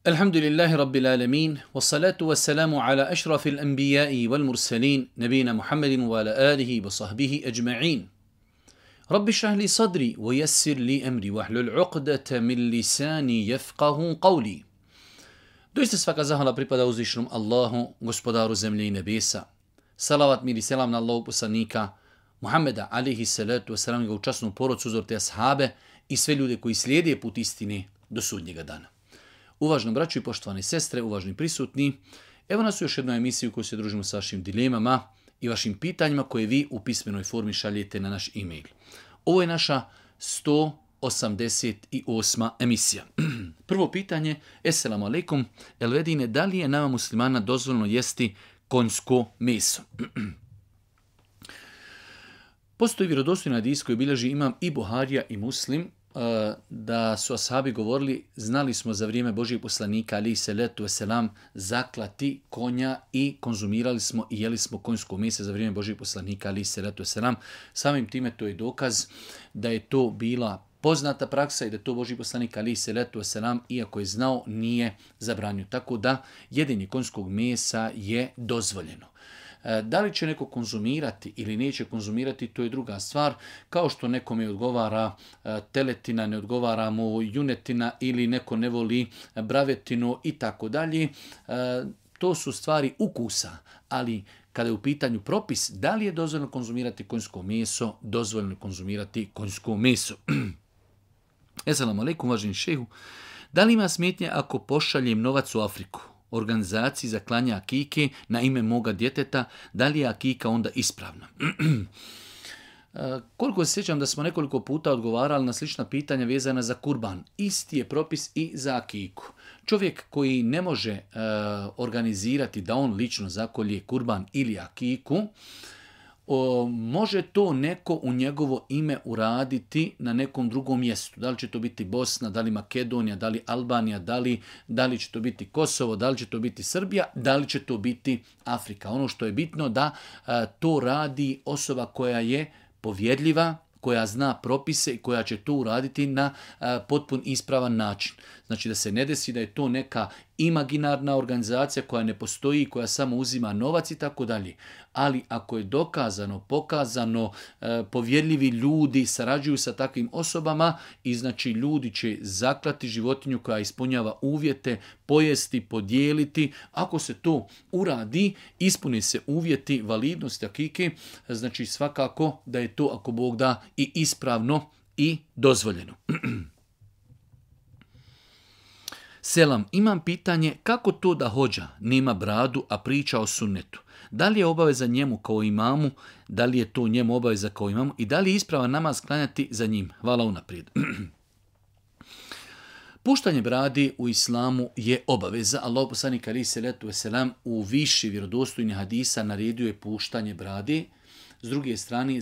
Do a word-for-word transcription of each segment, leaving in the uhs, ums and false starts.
الحمد لله رب العالمين والصلاة والسلام على أشرف الأنبياء والمرسلين نبينا محمد وعلى آله وصحبه أجمعين رب اشرح لي صدري ويسر لي أمري واحلل عقدة من لساني يفقه قولي. Doista svaka zahvala pripada uzvišenom Allahu, gospodaru zemlje i nebesa. Salavat, mir i selam na Allahu poslanika Muhammeda, alihi salatu wasalam, njega u časnu porodcu, uzor te ashabe i sve ljude koji slijede put istine do sudnjega dana. Uvažno braćo i poštovane sestre, uvažni prisutni, evo nas u još jednoj emisiji u kojoj se družimo sa vašim dilemama i vašim pitanjima koje vi u pismenoj formi šaljete na naš e-mail. Ovo je naša sto osamdeset osma emisija. Prvo pitanje, Esselamu alaikum, Elvedine, da li je nama muslimana dozvoljeno jesti konjsko meso? Postoji vjerodostojni hadis koji bilježi imam i Buharija i Muslim, da su ashabi govorili, znali smo za vrijeme Božijeg poslanika, alejhi salatu vesselam, zaklati konja i konzumirali smo i jeli smo konjsko meso za vrijeme Božijeg poslanika, alejhi salatu vesselam. Samim time to je dokaz da je to bila poznata praksa i da to Božji poslanik, alejhi salatu vesselam, iako je znao, nije zabranio. Tako da jedenje konjskog mesa je dozvoljeno. Da li će neko konzumirati ili neće konzumirati, to je druga stvar. Kao što nekome odgovara teletina, ne odgovara mu junetina ili neko ne voli bravetinu i tako dalje. To su stvari ukusa, ali kada je u pitanju propis, da li je dozvoljeno konzumirati konjsko meso, dozvoljeno je konzumirati konjsko meso. Esselamu alaikum, uvaženi šehu. Da li ima smetnje ako pošaljem novac u Afriku, organizaciji za klanje akike na ime moga djeteta, da li je akika onda ispravna? Koliko se sjećam da smo nekoliko puta odgovarali na slična pitanja vezana za kurban. Isti je propis i za akiku. Čovjek koji ne može uh, organizirati da on lično zakolje kurban ili akiku, O, može to neko u njegovo ime uraditi na nekom drugom mjestu. Da li će to biti Bosna, da li Makedonija, da li Albanija, da li, da li će to biti Kosovo, da li će to biti Srbija, da li će to biti Afrika. Ono što je bitno da a, to radi osoba koja je povjerljiva, koja zna propise i koja će to uraditi na a, potpun ispravan način. Znači da se ne desi da je to neka imaginarna organizacija koja ne postoji, koja samo uzima novac i tako dalje. Ali ako je dokazano, pokazano, e, povjerljivi ljudi sarađuju sa takvim osobama i znači ljudi će zaklati životinju koja ispunjava uvjete, pojesti, podijeliti. Ako se to uradi, ispune se uvjeti validnosti akike, znači svakako da je to, ako Bog da, i ispravno i dozvoljeno. Selam, imam pitanje kako to da hođa nema bradu, a priča o sunnetu. Da li je obaveza njemu kao imamu, da li je to njemu obaveza kao imamu i da li je ispravan namaz klanjati za njim? Hvala unaprijed. Puštanje bradi u islamu je obaveza. Allahu poslanik alejhi salatu vesselam u više vjerodostojnih hadisa naredio je puštanje brade. S druge strane,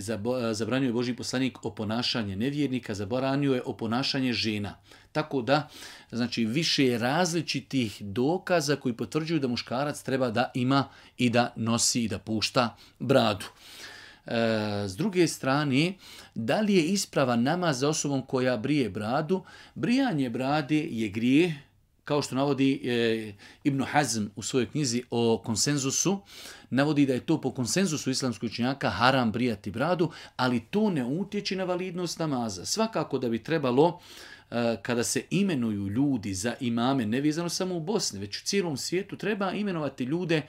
zabranio je Božji poslanik o ponašanje nevjernika, zabranio je o ponašanje žena. Tako da, znači, više je različitih dokaza koji potvrđuju da muškarac treba da ima i da nosi i da pušta bradu. E, s druge strane, da li je ispravan namaz za osobom koja brije bradu? Brijanje brade je grijeh, kao što navodi e, Ibn Hazm u svojoj knjizi o konsenzusu, navodi da je to po konsenzusu islamskih učenjaka haram brijati bradu, ali to ne utječe na validnost namaza. Svakako da bi trebalo, e, kada se imenuju ljudi za imame, ne vezano samo u Bosni, već u cijelom svijetu, treba imenovati ljude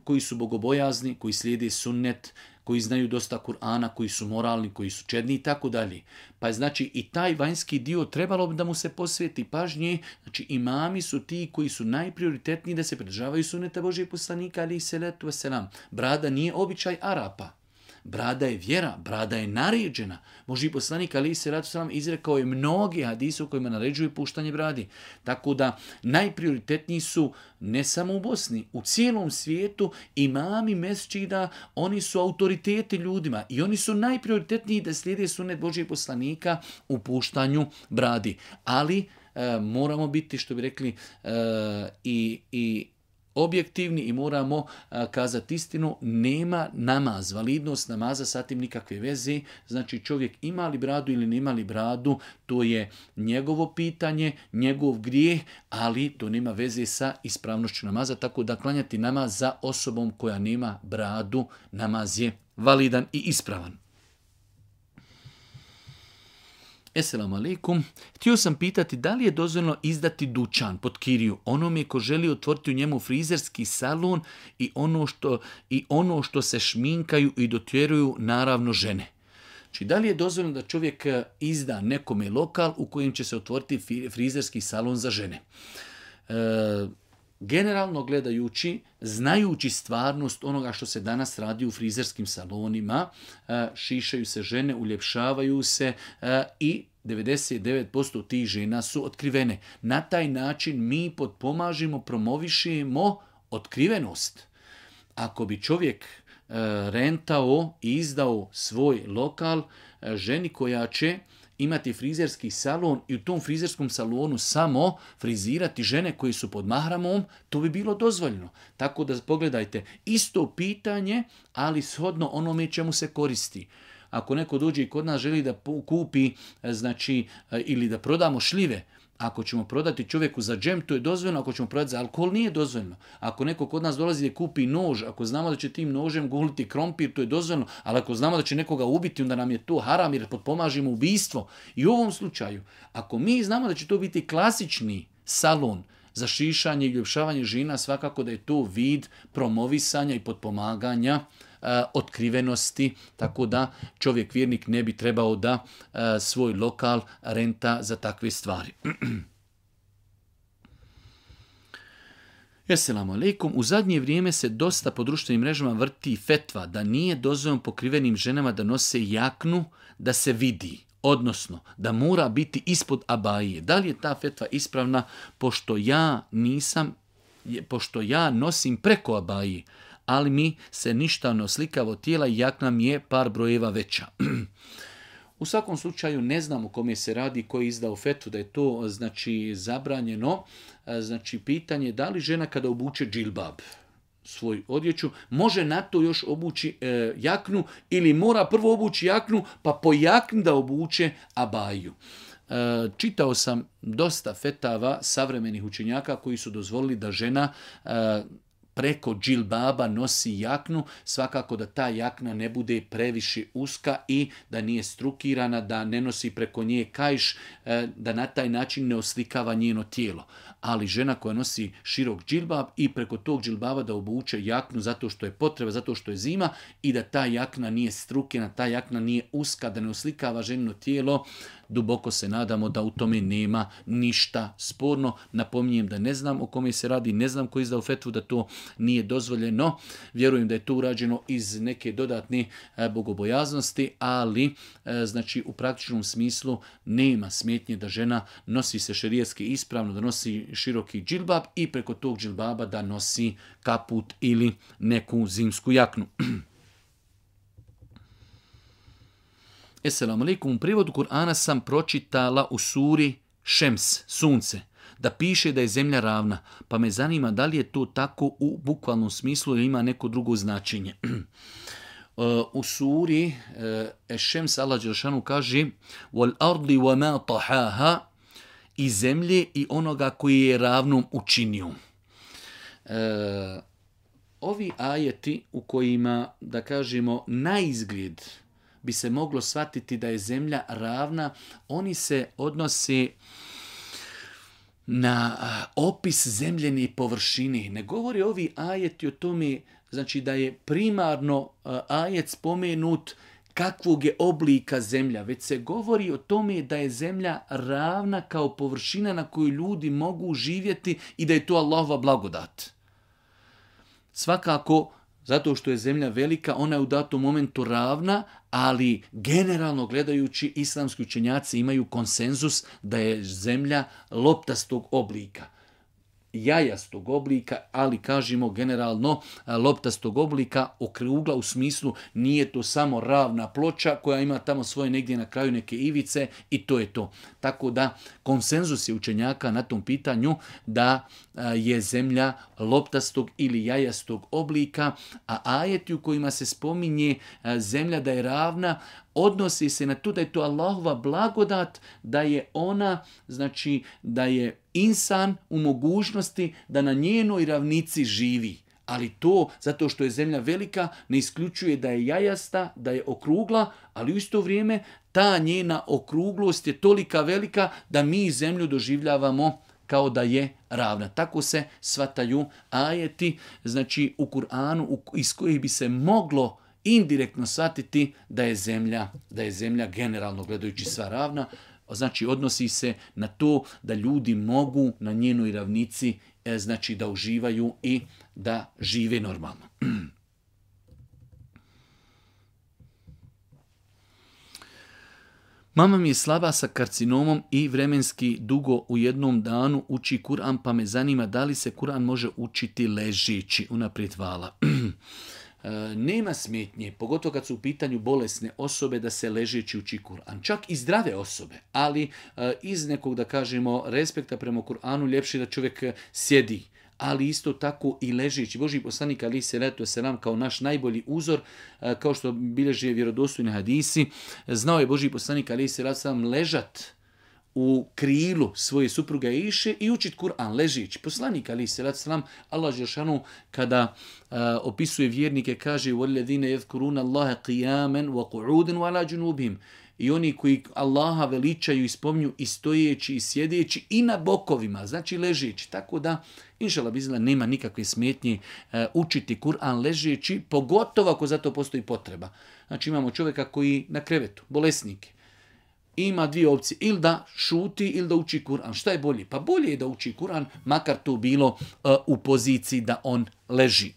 koji su bogobojazni, koji slijede sunnet, koji znaju dosta Kur'ana, koji su moralni, koji su čedni i tako dalje. Pa je znači i taj vanjski dio trebalo bi da mu se posveti pažnje. Znači imami su ti koji su najprioritetniji da se pridržavaju sunneta Božijeg poslanika, alejhi salatu vesselam. Brada nije običaj Arapa. Brada je vjera, brada je naređena. Božji poslanik alejhi salatu vesselam izrekao je mnogi hadise u kojima naređuje puštanje bradi. Tako da najprioritetniji su ne samo u Bosni, u cijelom svijetu imami mesdžida, oni su autoriteti ljudima i oni su najprioritetniji da slijede sunnet Božjeg poslanika u puštanju bradi. Ali e, moramo biti, što bi rekli, e, i, i objektivni i moramo a, kazati istinu, nema namaz, validnost namaza sa tim nikakve veze, znači čovjek ima li bradu ili nema li bradu, to je njegovo pitanje, njegov grijeh, ali to nema veze sa ispravnošću namaza, tako da klanjati namaz za osobom koja nema bradu, namaz je validan i ispravan. Esselamu alaikum. Htio sam pitati da li je dozvoljeno izdati dućan pod kiriju onome ko želi otvoriti u njemu frizerski salon i ono što, i ono što se šminkaju i dotjeruju naravno žene. Znači, da li je dozvoljeno da čovjek izda nekome lokal u kojem će se otvoriti frizerski salon za žene? E, generalno gledajući, znajući stvarnost onoga što se danas radi u frizerskim salonima, šišaju se žene, uljepšavaju se i devedeset devet posto tih žena su otkrivene. Na taj način mi potpomažimo, promovišemo otkrivenost. Ako bi čovjek rentao i izdao svoj lokal ženi koja će imati frizerski salon i u tom frizerskom salonu samo frizirati žene koji su pod mahramom, to bi bilo dozvoljeno. Tako da pogledajte, isto pitanje, ali shodno onome čemu se koristi. Ako neko dođe i kod nas želi da kupi, znači, ili da prodamo šljive, ako ćemo prodati čovjeku za džem, to je dozvoljeno, ako ćemo prodati za alkohol, nije dozvoljeno. Ako neko kod nas dolazi da kupi nož, ako znamo da će tim nožem guliti krompir, to je dozvoljeno, ali ako znamo da će nekoga ubiti, onda nam je to haram jer potpomažimo ubijstvo. I u ovom slučaju, ako mi znamo da će to biti klasični salon za šišanje i ljepšavanje žena, svakako da je to vid promovisanja i potpomaganja otkrivenosti, tako da čovjek vjernik ne bi trebao da svoj lokal renta za takve stvari. Esselamu alaikum. U zadnje vrijeme se dosta po društvenim mrežama vrti fetva da nije dozvoljeno pokrivenim ženama da nose jaknu da se vidi, odnosno da mora biti ispod abaje. Da li je ta fetva ispravna, pošto ja nisam, pošto ja nosim preko abaje, ali mi se ništa ne oslikava od tijela i jakna mi je par brojeva veća. U svakom slučaju ne znam o kome se radi, koji je izdao fetvu da je to znači zabranjeno. Znači pitanje da li žena kada obuče džilbab, svoj odjeću, može na to još obući e, jaknu ili mora prvo obući jaknu pa po jakni da obuče abaju. E, čitao sam dosta fetava savremenih učenjaka koji su dozvolili da žena e, preko džilbaba nosi jaknu, svakako da ta jakna ne bude previše uska i da nije strukirana, da ne nosi preko nje kajš, da na taj način ne oslikava njeno tijelo. Ali žena koja nosi širok džilbab i preko tog džilbaba da obuče jaknu zato što je potreba, zato što je zima i da ta jakna nije strukirana, ta jakna nije uska, da ne oslikava ženino tijelo, duboko se nadamo da u tome nema ništa sporno. Napominjem da ne znam o kome se radi, ne znam ko je izdao fetvu da to nije dozvoljeno. Vjerujem da je to urađeno iz neke dodatne bogobojaznosti, ali znači u praktičnom smislu nema smetnje da žena nosi se šerijatski ispravno, da nosi široki džilbab i preko tog džilbaba da nosi kaput ili neku zimsku jaknu. Esselamu alaikum. U prijevodu Kur'ana sam pročitala u suri Šems, sunce, da piše da je zemlja ravna, pa me zanima da li je to tako u bukvalnom smislu ili ima neko drugo značenje. U suri Šems Allah dželešanu kaže wal ardi wa ma tahaha, i zemlje i onoga koji je ravnom učinio. E, ovi ajeti u kojima, da kažemo, na izgled bi se moglo shvatiti da je zemlja ravna, oni se odnose na opis zemljene površine. Ne govori ovi ajeti o tome, znači da je primarno ajet spomenut kakvog je oblika zemlja, već se govori o tome da je zemlja ravna kao površina na kojoj ljudi mogu živjeti i da je to Allahova blagodat. Svakako, zato što je zemlja velika, ona je u datom momentu ravna, ali generalno gledajući islamski učenjaci imaju konsenzus da je zemlja loptastog oblika. jajastog oblika, ali kažemo generalno loptastog oblika, okrugla u smislu nije to samo ravna ploča koja ima tamo svoje negdje na kraju neke ivice i to je to. Tako da konsenzus je učenjaka na tom pitanju da je zemlja loptastog ili jajastog oblika, a ajeti u kojima se spominje zemlja da je ravna, odnosi se na to da je to Allahova blagodat, da je ona, znači da je insan u mogućnosti da na njenoj ravnici živi. Ali to, zato što je zemlja velika, ne isključuje da je jajasta, da je okrugla, ali u isto vrijeme ta njena okruglost je tolika velika da mi zemlju doživljavamo kao da je ravna. Tako se shvataju ajeti, znači u Kur'anu, iz kojih bi se moglo indirektno shvatiti da je zemlja, da je zemlja generalno gledajući sva ravna. Znači odnosi se na to da ljudi mogu na njenoj ravnici e, znači da uživaju i da žive normalno. Mama mi je slaba sa karcinomom i vremenski dugo u jednom danu uči Kur'an, pa me zanima da li se Kur'an može učiti ležeći. Unaprijed hvala. Nema smetnje, pogotovo kad su u pitanju bolesne osobe, da se ležeći uči Kur'an. Čak i zdrave osobe, ali iz nekog, da kažemo, respekta prema Kur'anu, ljepše da čovjek sjedi. Ali isto tako i ležeći. Božji poslanik alejhi selatu vesselam kao naš najbolji uzor, kao što bilježe vjerodostojni hadisi, znao je Božji poslanik alejhi selatu vesselam ležat u krilu svoje supruge Iše i učit Kur'an ležeći. Poslanik alejhi selatu vesselam, Allah dželešanu kada uh, opisuje vjernike kaže: "Wallazina yadhkuruna Allaha qiyaman wa qu'udan wa ala junubihim." I oni koji Allaha veličaju i spominju i stojeći i sjedeći i na bokovima, znači ležeći. Tako da, inšallah bizla, nema nikakve smetnje uh, učiti Kur'an ležeći, pogotovo ako za to postoji potreba. Znači imamo čovjeka koji na krevetu, bolesnike. Ima dvije opcije, ili da šuti ili da uči Kur'an. Šta je bolje? Pa bolje je da uči Kur'an, makar to bilo uh, u poziciji da on leži.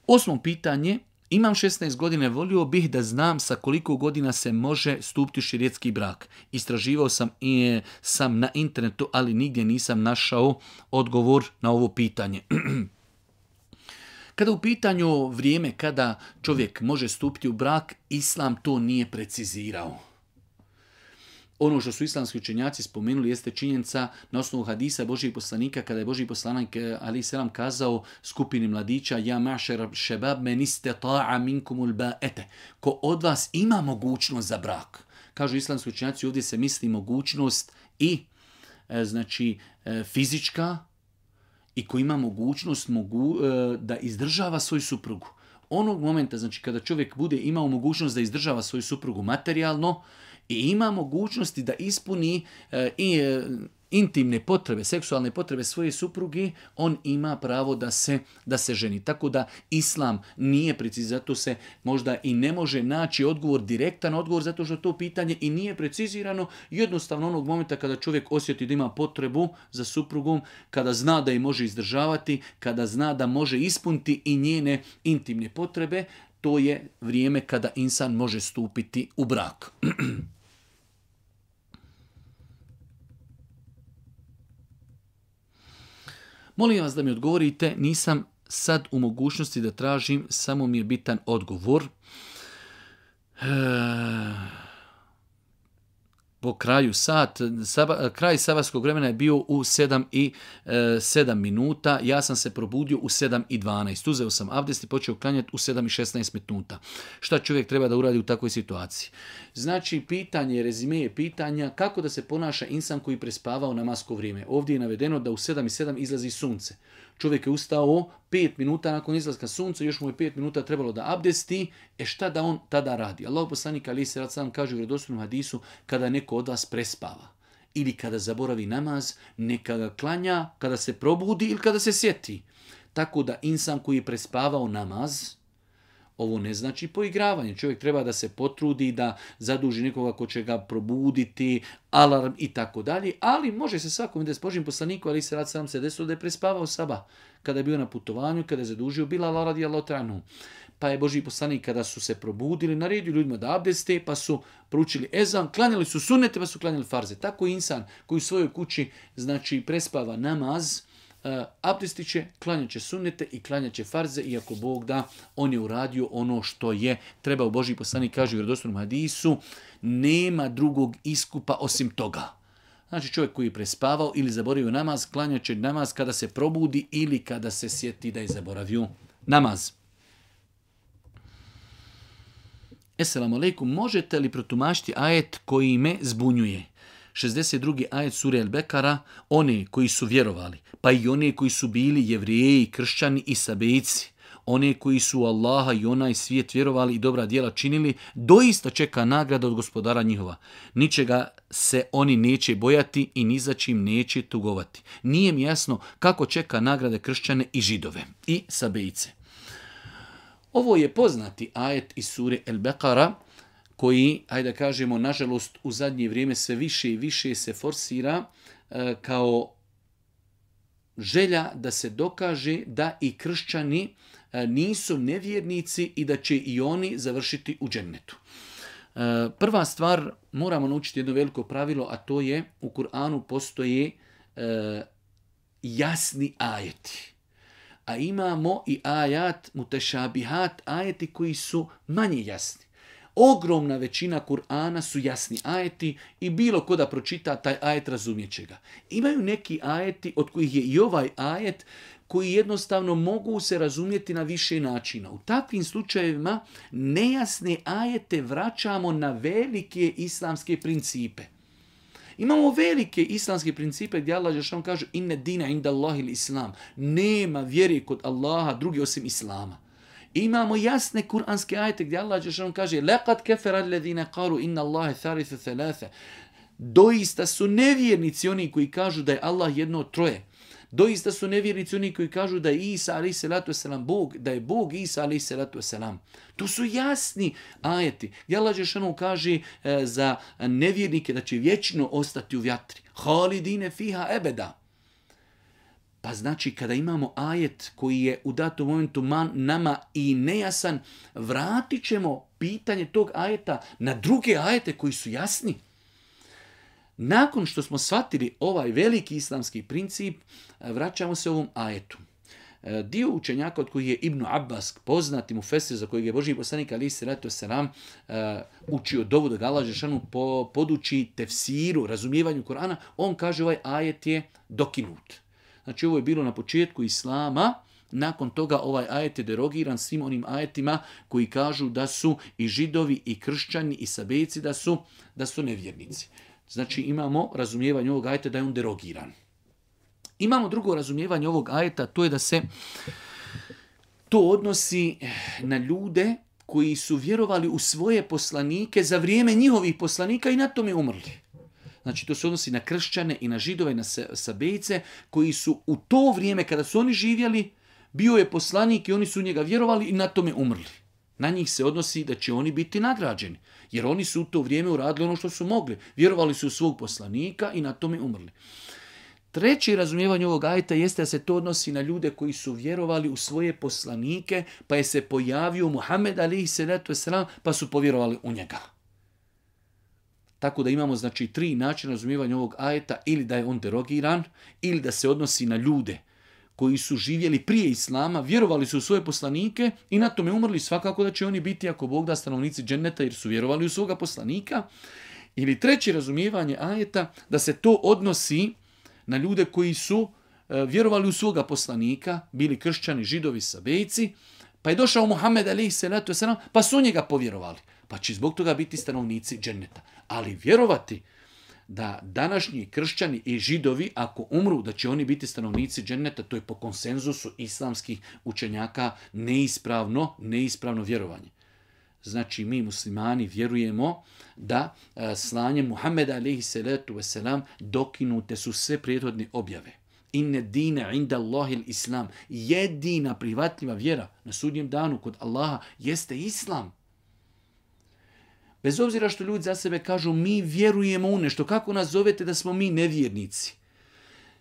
Osmo pitanje. Imam šesnaest godina, volio bih da znam sa koliko godina se može stupiti u šerijetski brak. Istraživao sam i sam na internetu, ali nigdje nisam našao odgovor na ovo pitanje. Kada u pitanju vrijeme kada čovjek može stupiti u brak, Islam to nije precizirao. Ono što su islamski učenjaci spomenuli jeste činjenica na osnovu hadisa Božijeg poslanika, kada je Božji poslanik alejhi selam kazao skupini mladića: "Ja ma'šer šebab men istata'a minkumul ba'ete." Ko od vas ima mogućnost za brak. Kažu islamski učenjaci, ovdje se misli mogućnost i e, znači e, fizička, i ko ima mogućnost mogu, e, da izdržava svoju suprugu. Onog momenta, znači kada čovjek bude imao mogućnost da izdržava svoju suprugu materijalno i ima mogućnosti da ispuni e, i, e, intimne potrebe, seksualne potrebe svoje supruge, on ima pravo da se, da se ženi. Tako da Islam nije precizirano, zato se možda i ne može naći odgovor, direktan odgovor, zato što to pitanje i nije precizirano. Jednostavno onog momenta kada čovjek osjeti da ima potrebu za suprugom, kada zna da je može izdržavati, kada zna da može ispuniti i njene intimne potrebe, to je vrijeme kada insan može stupiti u brak. Molim vas da mi odgovorite, nisam sad u mogućnosti da tražim, samo mi je bitan odgovor. E, po kraju sat, saba, kraj sabatskog vremena je bio u sedam i sedam minuta, ja sam se probudio u sedam i dvanaest. Uzeo sam abdest i počeo klanjati u sedam i šesnaest minuta. Šta čovjek treba da uradi u takvoj situaciji? Znači, pitanje, rezime je pitanja kako da se ponaša insan koji prespava u namasko vrijeme. Ovdje je navedeno da u sedam i sedam izlazi sunce. Čovjek je ustao pet minuta nakon izlaska sunca, još mu je pet minuta trebalo da abdesti, e šta da on tada radi? Allah poslanik alejhi selatu vesselam kaže u vjerodostojnom hadisu, kada neko od vas prespava ili kada zaboravi namaz, neka ga klanja kada se probudi ili kada se sjeti. Tako da insan koji je prespavao namaz, ovo ne znači poigravanje. Čovjek treba da se potrudi, da zaduži nekoga ko će ga probuditi, alarm i tako dalje, ali može se svakom da s Božjim poslaniku, ali se rad sam se desilo da je prespavao sabah, kada je bio na putovanju, kada je zadužio Bilala radijallahu ta'ala anhu. pa je Božji poslanik kada su se probudili, naredio ljudima da abdeste, pa su proučili ezan, klanjali su sunnete, pa su klanjali farze. Tako insan koji u svojoj kući znači prespava namaz, uh, abdestit će, klanjat će sunnete i klanjat će farze, iako Bog da, on je uradio ono što je trebao. Božji poslanik kaže u vjerodostojnom hadisu, nema drugog iskupa osim toga. Znači čovjek koji je prespavao ili zaboravio namaz, klanjat će namaz kada se probudi ili kada se sjeti da je zaboravio namaz. Esselamu alaikum, možete li protumačiti ajet koji me zbunjuje? šezdeset drugi ajet sure El-Bekara, one koji su vjerovali, pa i one koji su bili jevrijeji, kršćani i sabejci, one koji su u Allaha i onaj svijet vjerovali i dobra djela činili, doista čeka nagrada od gospodara njihova. Ničega se oni neće bojati i ni za čim neće tugovati. Nije mi jasno kako čeka nagrade kršćane i židove i sabejce. Ovo je poznati ajet iz sure El-Bekara, koji, hajde da kažemo, nažalost u zadnje vrijeme sve više i više se forsira e, kao želja da se dokaže da i kršćani e, nisu nevjernici i da će i oni završiti u džennetu. E, prva stvar, moramo naučiti jedno veliko pravilo, a to je u Kur'anu postoje e, jasni ajeti. A imamo i ajat mutešabihat, ajeti koji su manje jasni. Ogromna većina Kur'ana su jasni ajeti i bilo ko da pročita taj ajet razumjet će ga. Imaju neki ajeti od kojih je i ovaj ajet koji jednostavno mogu se razumjeti na više načina. U takvim slučajevima nejasne ajete vraćamo na velike islamske principe. Imamo velike islamske principe gdje Allah dželešanu kaže inne dina inda Allahil islam. Nema vjere kod Allaha drugi osim islama. Imamo jasne kuranske ajete gdje Allah dželešanu kaže laqad kafara alladhina qalu inna Allaha thalithu thalatha. Doista su nevjernici oni koji kažu da je Allah jedno od troje. Doista su nevjernici oni koji kažu da je Isa alejhi salatu vesselam Bog, da je Bog Isa alejhi salatu vesselam. To su jasni ajeti. Gdje Allah dželešanu kaže e, za nevjernike da će vječno ostati u vatri. Halidine fiha ebeda. Pa znači kada imamo ajet koji je u datom momentu man, nama i nejasan, vratit ćemo pitanje tog ajeta na druge ajete koji su jasni. Nakon što smo shvatili ovaj veliki islamski princip, vraćamo se ovom ajetu. Dio učenjaka od kojih je Ibn Abbas, poznati mufesir za kojeg je Božji poslanik alejhi selatu vesselam učio dovu da ga Allah dželešanu poduči tefsiru, razumijevanju Kur'ana, on kaže ovaj ajet je dokinut. Znači ovo je bilo na početku islama, nakon toga ovaj ajet je derogiran svim onim ajetima koji kažu da su i židovi i kršćani i sabejci da su, da su nevjernici. Znači imamo razumijevanje ovog ajeta da je on derogiran. Imamo drugo razumijevanje ovog ajeta, to je da se to odnosi na ljude koji su vjerovali u svoje poslanike za vrijeme njihovih poslanika i na tome umrli. Znači to se odnosi na kršćane i na židove i na sabejce koji su u to vrijeme kada su oni živjeli, bio je poslanik i oni su u njega vjerovali i na tome umrli. Na njih se odnosi da će oni biti nagrađeni, jer oni su u to vrijeme uradili ono što su mogli. Vjerovali su u svog poslanika i na tome umrli. Treće razumijevanje ovog ajeta jeste da se to odnosi na ljude koji su vjerovali u svoje poslanike, pa je se pojavio Muhammed alejhi selatu vesselam, pa su povjerovali u njega. Tako da imamo znači tri načina razumijevanja ovog ajeta, ili da je on derogiran, ili da se odnosi na ljude koji su živjeli prije islama, vjerovali su u svoje poslanike i na tome umrli, svakako da će oni biti, ako Bog da, stanovnici dženneta jer su vjerovali u svoga poslanika. Ili treće razumijevanje ajeta, da se to odnosi na ljude koji su e, vjerovali u svoga poslanika, bili kršćani, židovi, sabejci, pa je došao Muhammed alejhi selatu vesselam, pa su njega povjerovali. Pa će zbog toga biti stanovnici dženneta. Ali vjerovati da današnji kršćani i židovi, ako umru, da će oni biti stanovnici dženneta, to je po konsenzusu islamskih učenjaka neispravno, neispravno vjerovanje. Znači mi muslimani vjerujemo da slanjem Muhammeda alejhi salatu vesselam dokinute su sve prethodne objave. Inne dine inda Allahil islam. Jedina prihvatljiva vjera na sudnjem danu kod Allaha jeste islam. Bez obzira što ljudi za sebe kažu mi vjerujemo u nešto, kako nas zovete da smo mi nevjernici?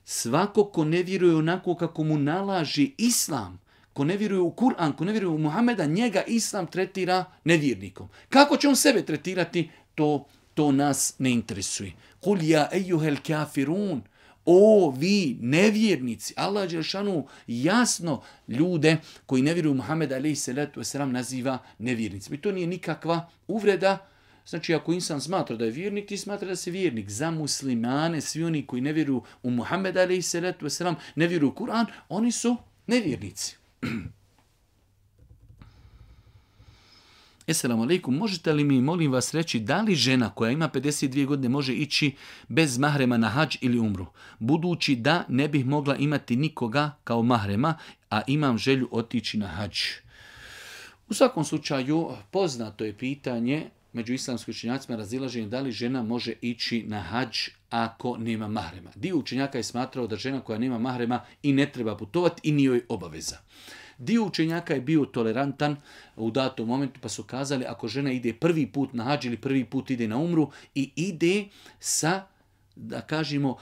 Svako ko ne vjeruje onako kako mu nalaži islam, ko ne vjeruje u Kur'an, ko ne vjeruje u Muhameda, njega Islam tretira nevjernikom. Kako će on sebe tretirati, to, to nas ne interesuje. Kul ja ejuhel kafirun. O, vi nevjernici. Allah dželešanu jasno ljude koji ne vjeruju u Muhameda alejhi salatu vesselam naziva nevjernicima. I to nije nikakva uvreda. Znači, ako insan smatra da je vjernik, ti smatra da si vjernik. Za muslimane, svi oni koji ne vjeruju u Muhameda alejhi salatu vesselam, ne vjeruju u Kur'an, oni su nevjernici. Esselamu alaikum, možete li mi, molim vas, reći da li žena koja ima pedeset dvije godine može ići bez mahrema na hadž ili umru? Budući da ne bih mogla imati nikoga kao mahrema, a imam želju otići na hadž. U svakom slučaju, poznato je pitanje među islamskim učenjacima razilaženje da li žena može ići na hadž ako nema mahrema. Dio učenjaka je smatrao da žena koja nema mahrema i ne treba putovati i nije joj obaveza. Dio učenjaka je bio tolerantan u datom momentu pa su kazali ako žena ide prvi put na hadž ili prvi put ide na umru i ide sa, da kažemo,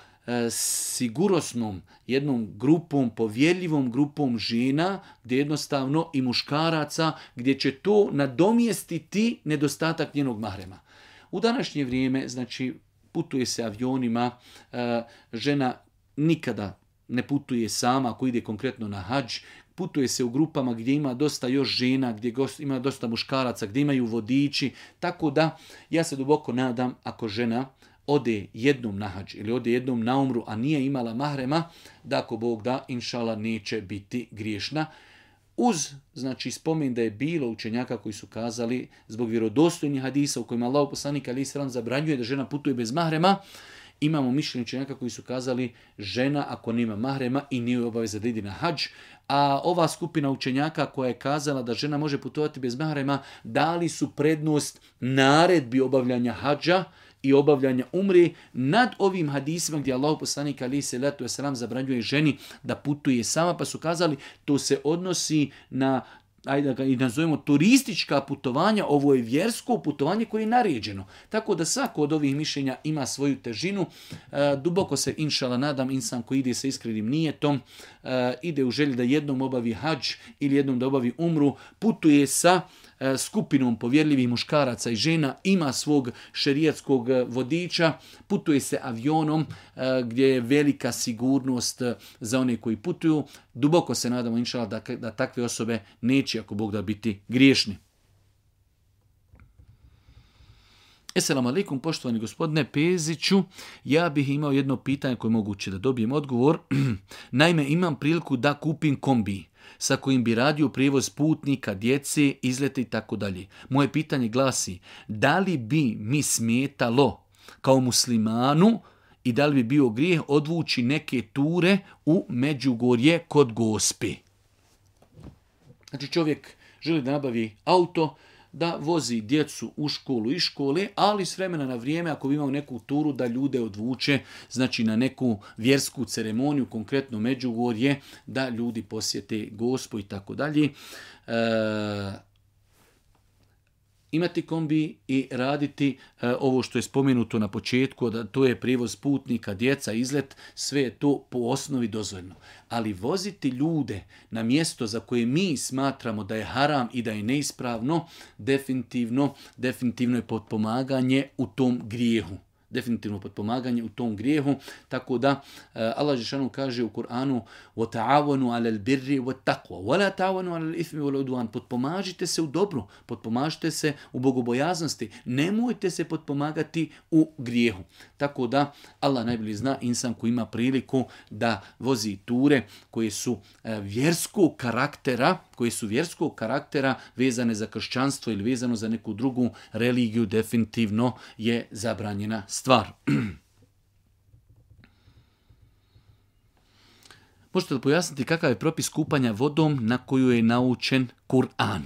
sigurosnom jednom grupom, povjerljivom grupom žena, gdje jednostavno i muškaraca, gdje će to nadomjestiti nedostatak njenog mahrema. U današnje vrijeme, znači, putuje se avionima, žena nikada ne putuje sama ako ide konkretno na hadž, putuje se u grupama gdje ima dosta još žena, gdje ima dosta muškaraca, gdje imaju vodiči, tako da ja se duboko nadam ako žena ode jednom na hadž ili ode jednom na umru, a nije imala mahrema, da ako Bog da, inšala, neće biti griješna. Uz, znači, spomen da je bilo učenjaka koji su kazali zbog vjerodostojnih hadisa u kojima Allahov poslanik alejhi selam zabranjuje da žena putuje bez mahrema, imamo mišljenje učenjaka koji su kazali žena ako nema mahrema i nije obaveza da ide na hadž, a ova skupina učenjaka koja je kazala da žena može putovati bez mahrema, dali su prednost naredbi obavljanja hadža i obavljanja umre nad ovim hadisima gdje Allahov poslanik alejhi salatu vesselam zabranjuje ženi da putuje sama, pa su kazali to se odnosi na, ajde da ga i nazovemo, turistička putovanja, ovo je vjersko putovanje koje je naređeno. Tako da svako od ovih mišljenja ima svoju težinu. E, duboko se, inšala, nadam, insan koji ide sa iskrenim nijetom, e, ide u želji da jednom obavi hadž ili jednom da obavi umru, putuje sa e, skupinom povjerljivih muškaraca i žena, ima svog šerijatskog vodiča, putuje se avionom e, gdje je velika sigurnost za one koji putuju. Duboko se nadamo, inšala, da, da takve osobe neće, ako Bog da, biti griješni. Esselamu alaikum, poštovani gospodine Peziću, ja bih imao jedno pitanje koje je moguće da dobijem odgovor. Naime, imam priliku da kupim kombi sa kojim bi radio prijevoz putnika, djece, izlete i tako dalje. Moje pitanje glasi, da li bi mi smetalo kao muslimanu i da li bi bio grijeh odvući neke ture u Međugorje kod Gospe? Znači, čovjek želi da nabavi auto, da vozi djecu u školu i škole, ali s vremena na vrijeme, ako bi imao neku turu, da ljude odvuče, znači na neku vjersku ceremoniju, konkretno Međugorje, da ljudi posjete Gospu i tako dalje. Imati kombi i raditi e, ovo što je spomenuto na početku, da to je prijevoz putnika, djeca, izlet, sve je to po osnovi dozvoljeno. Ali voziti ljude na mjesto za koje mi smatramo da je haram i da je neispravno, definitivno, definitivno je potpomaganje u tom grijehu. Definitivno potpomaganje u tom grijehu, tako da Allah dželešanu kaže u Kur'anu وَتَعَوَنُوا عَلَى الْبِرِّ وَالتَّقْوَى وَلَا تَعَوَنُوا عَلَى الْإِثْمِ وَالْعُدْوَانِ. Potpomažite se u dobru, potpomažite se u bogobojaznosti, nemojte se potpomagati u grijehu. Tako da Allah najbolje zna, insan koji ima priliku da vozi ture koje su vjerskog karaktera, koje su vjerskog karaktera vezane za kršćanstvo ili vezano za neku drugu religiju, definitivno je zabranjena stvar. Možete li pojasniti kakav je propis kupanja vodom na koju je naučen Kur'an?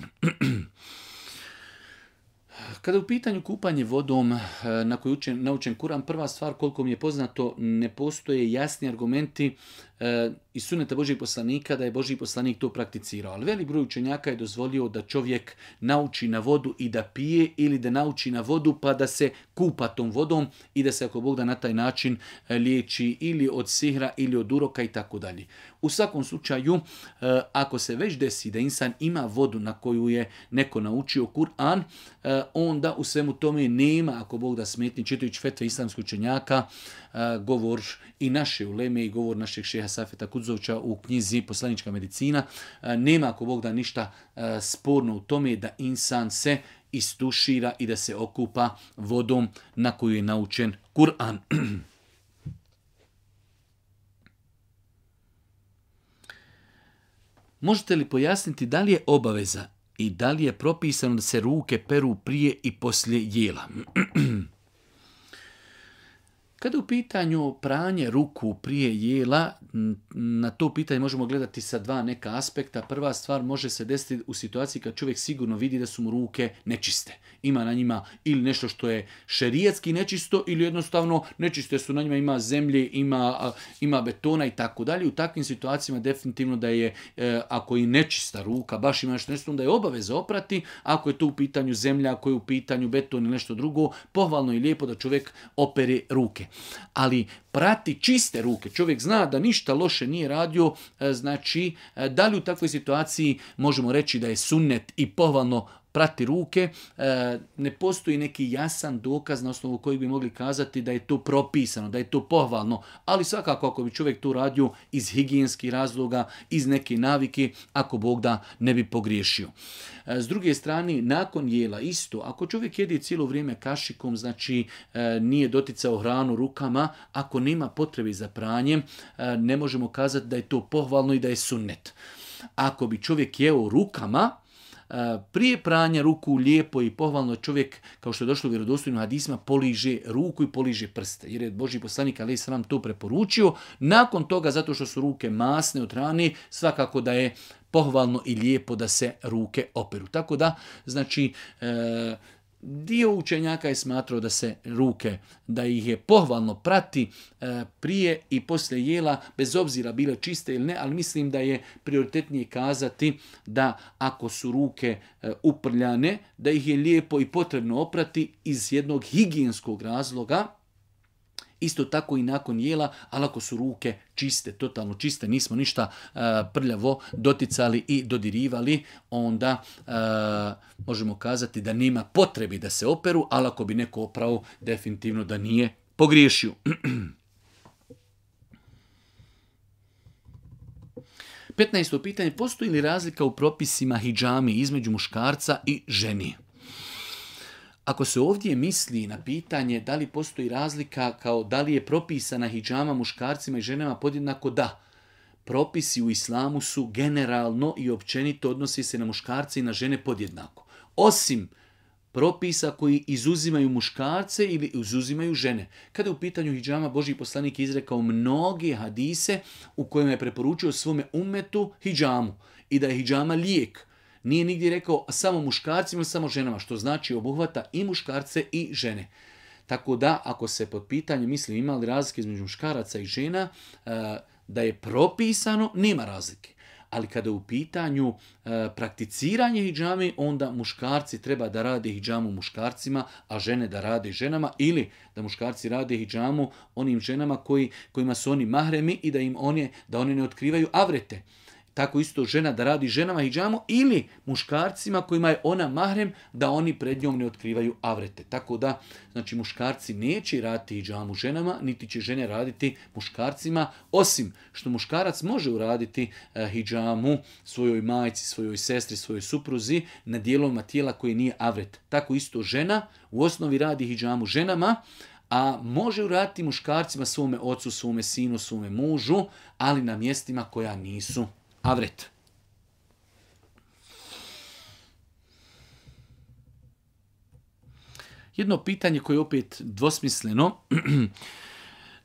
Kada je u pitanju kupanje vodom na koju je naučen Kur'an, prva stvar, koliko mi je poznato, ne postoje jasni argumenti e, iz suneta Božijeg poslanika da je Božji poslanik to prakticirao. Ali velik broj učenjaka je dozvolio da čovjek nauči na vodu i da pije ili da nauči na vodu pa da se kupa tom vodom i da se ako Bog da na taj način liječi ili od sihra ili od uroka i tako dalje. U svakom slučaju, e, ako se već desi da insan ima vodu na koju je neko naučio Kur'an, e, onda u svemu tome nema, ako Bog da smetni, čitajući fetve islamskih učenjaka, e, govor i naše uleme i govor našeg šeha Safeta Kudzovića u knjizi Poslanička medicina, e, nema, ako Bog da, ništa e, sporno u tome da insan se istušira i da se okupa vodom na koju je naučen Kur'an. Možete li pojasniti da li je obaveza i da li je propisano da se ruke peru prije i poslije jela? Kada je u pitanju pranje ruku prije jela, na to pitanje možemo gledati sa dva neka aspekta. Prva stvar može se desiti u situaciji kad čovjek sigurno vidi da su mu ruke nečiste. Ima na njima ili nešto što je šerijatski nečisto ili jednostavno nečiste su na njima, ima zemlje, ima, ima betona i tako dalje. U takvim situacijama definitivno da je, ako je nečista ruka, baš ima nešto nečisto, da je obaveza oprati. Ako je to u pitanju zemlja, ako je u pitanju beton ili nešto drugo, pohvalno i lijepo da čovjek opere ruke. Ali prati čiste ruke, čovjek zna da ništa loše nije radio, znači da li u takvoj situaciji možemo reći da je sunnet i pohvalno prati ruke, ne postoji neki jasan dokaz na osnovu kojeg bi mogli kazati da je to propisano, da je to pohvalno, ali svakako ako bi čovjek to radio iz higijenskih razloga, iz neke navike, ako Bog da ne bi pogriješio. S druge strane, nakon jela isto, ako čovjek jede cijelo vrijeme kašikom, znači nije doticao hranu rukama, ako nema potrebe za pranjem, ne možemo kazati da je to pohvalno i da je sunnet. Ako bi čovjek jeo rukama, prije pranja ruku lijepo i pohvalno čovjek, kao što je došlo u vjerodostojnim hadisima, poliže ruku i poliže prste. Jer je Božji poslanik alejhi selam to preporučio. Nakon toga, zato što su ruke masne od hrane, svakako da je pohvalno i lijepo da se ruke operu. Tako da, znači, e, dio učenjaka je smatrao da se ruke, da ih je pohvalno prati e, prije i poslije jela, bez obzira bile čiste ili ne, ali mislim da je prioritetnije kazati da ako su ruke e, uprljane, da ih je lijepo i potrebno oprati iz jednog higijenskog razloga. Isto tako i nakon jela, ali ako su ruke čiste, totalno čiste, nismo ništa uh, prljavo doticali i dodirivali, onda uh, možemo kazati da nema potrebi da se operu, ali ako bi neko oprao, definitivno da nije pogriješio. petnaesto pitanje, postoji li razlika u propisima hidžami između muškarca i ženi? Ako se ovdje misli na pitanje da li postoji razlika kao da li je propisana hidžama muškarcima i ženama podjednako, da. Propisi u islamu su generalno i općenito odnosi se na muškarce i na žene podjednako. Osim propisa koji izuzimaju muškarce ili izuzimaju žene. Kada je u pitanju hidžama, Božji poslanik je izrekao mnoge hadise u kojima je preporučio svome ummetu hidžamu i da je hidžama lijek. Nije nigdje rekao samo muškarcima ili samo ženama, što znači obuhvata i muškarce i žene. Tako da, ako se pod pitanjem misli ima li razlike između muškaraca i žena, da je propisano, nema razlike. Ali kada je u pitanju prakticiranje hidžame, onda muškarci treba da rade hidžamu muškarcima, a žene da rade ženama, ili da muškarci rade hidžamu onim ženama koji, kojima su oni mahremi i da im one, da oni ne otkrivaju avrete. Tako isto žena da radi ženama hidžamu ili muškarcima kojima je ona mahrem da oni pred njom ne otkrivaju avrete. Tako da, znači muškarci neće raditi hidžamu ženama, niti će žene raditi muškarcima, osim što muškarac može uraditi uh, hidžamu svojoj majci, svojoj sestri, svojoj supruzi na dijelovima tijela koje nije avret. Tako isto žena u osnovi radi hidžamu ženama, a može uraditi muškarcima, svome ocu, svome sinu, svome mužu, ali na mjestima koja nisu avret. Jedno pitanje koje je opet dvosmisleno.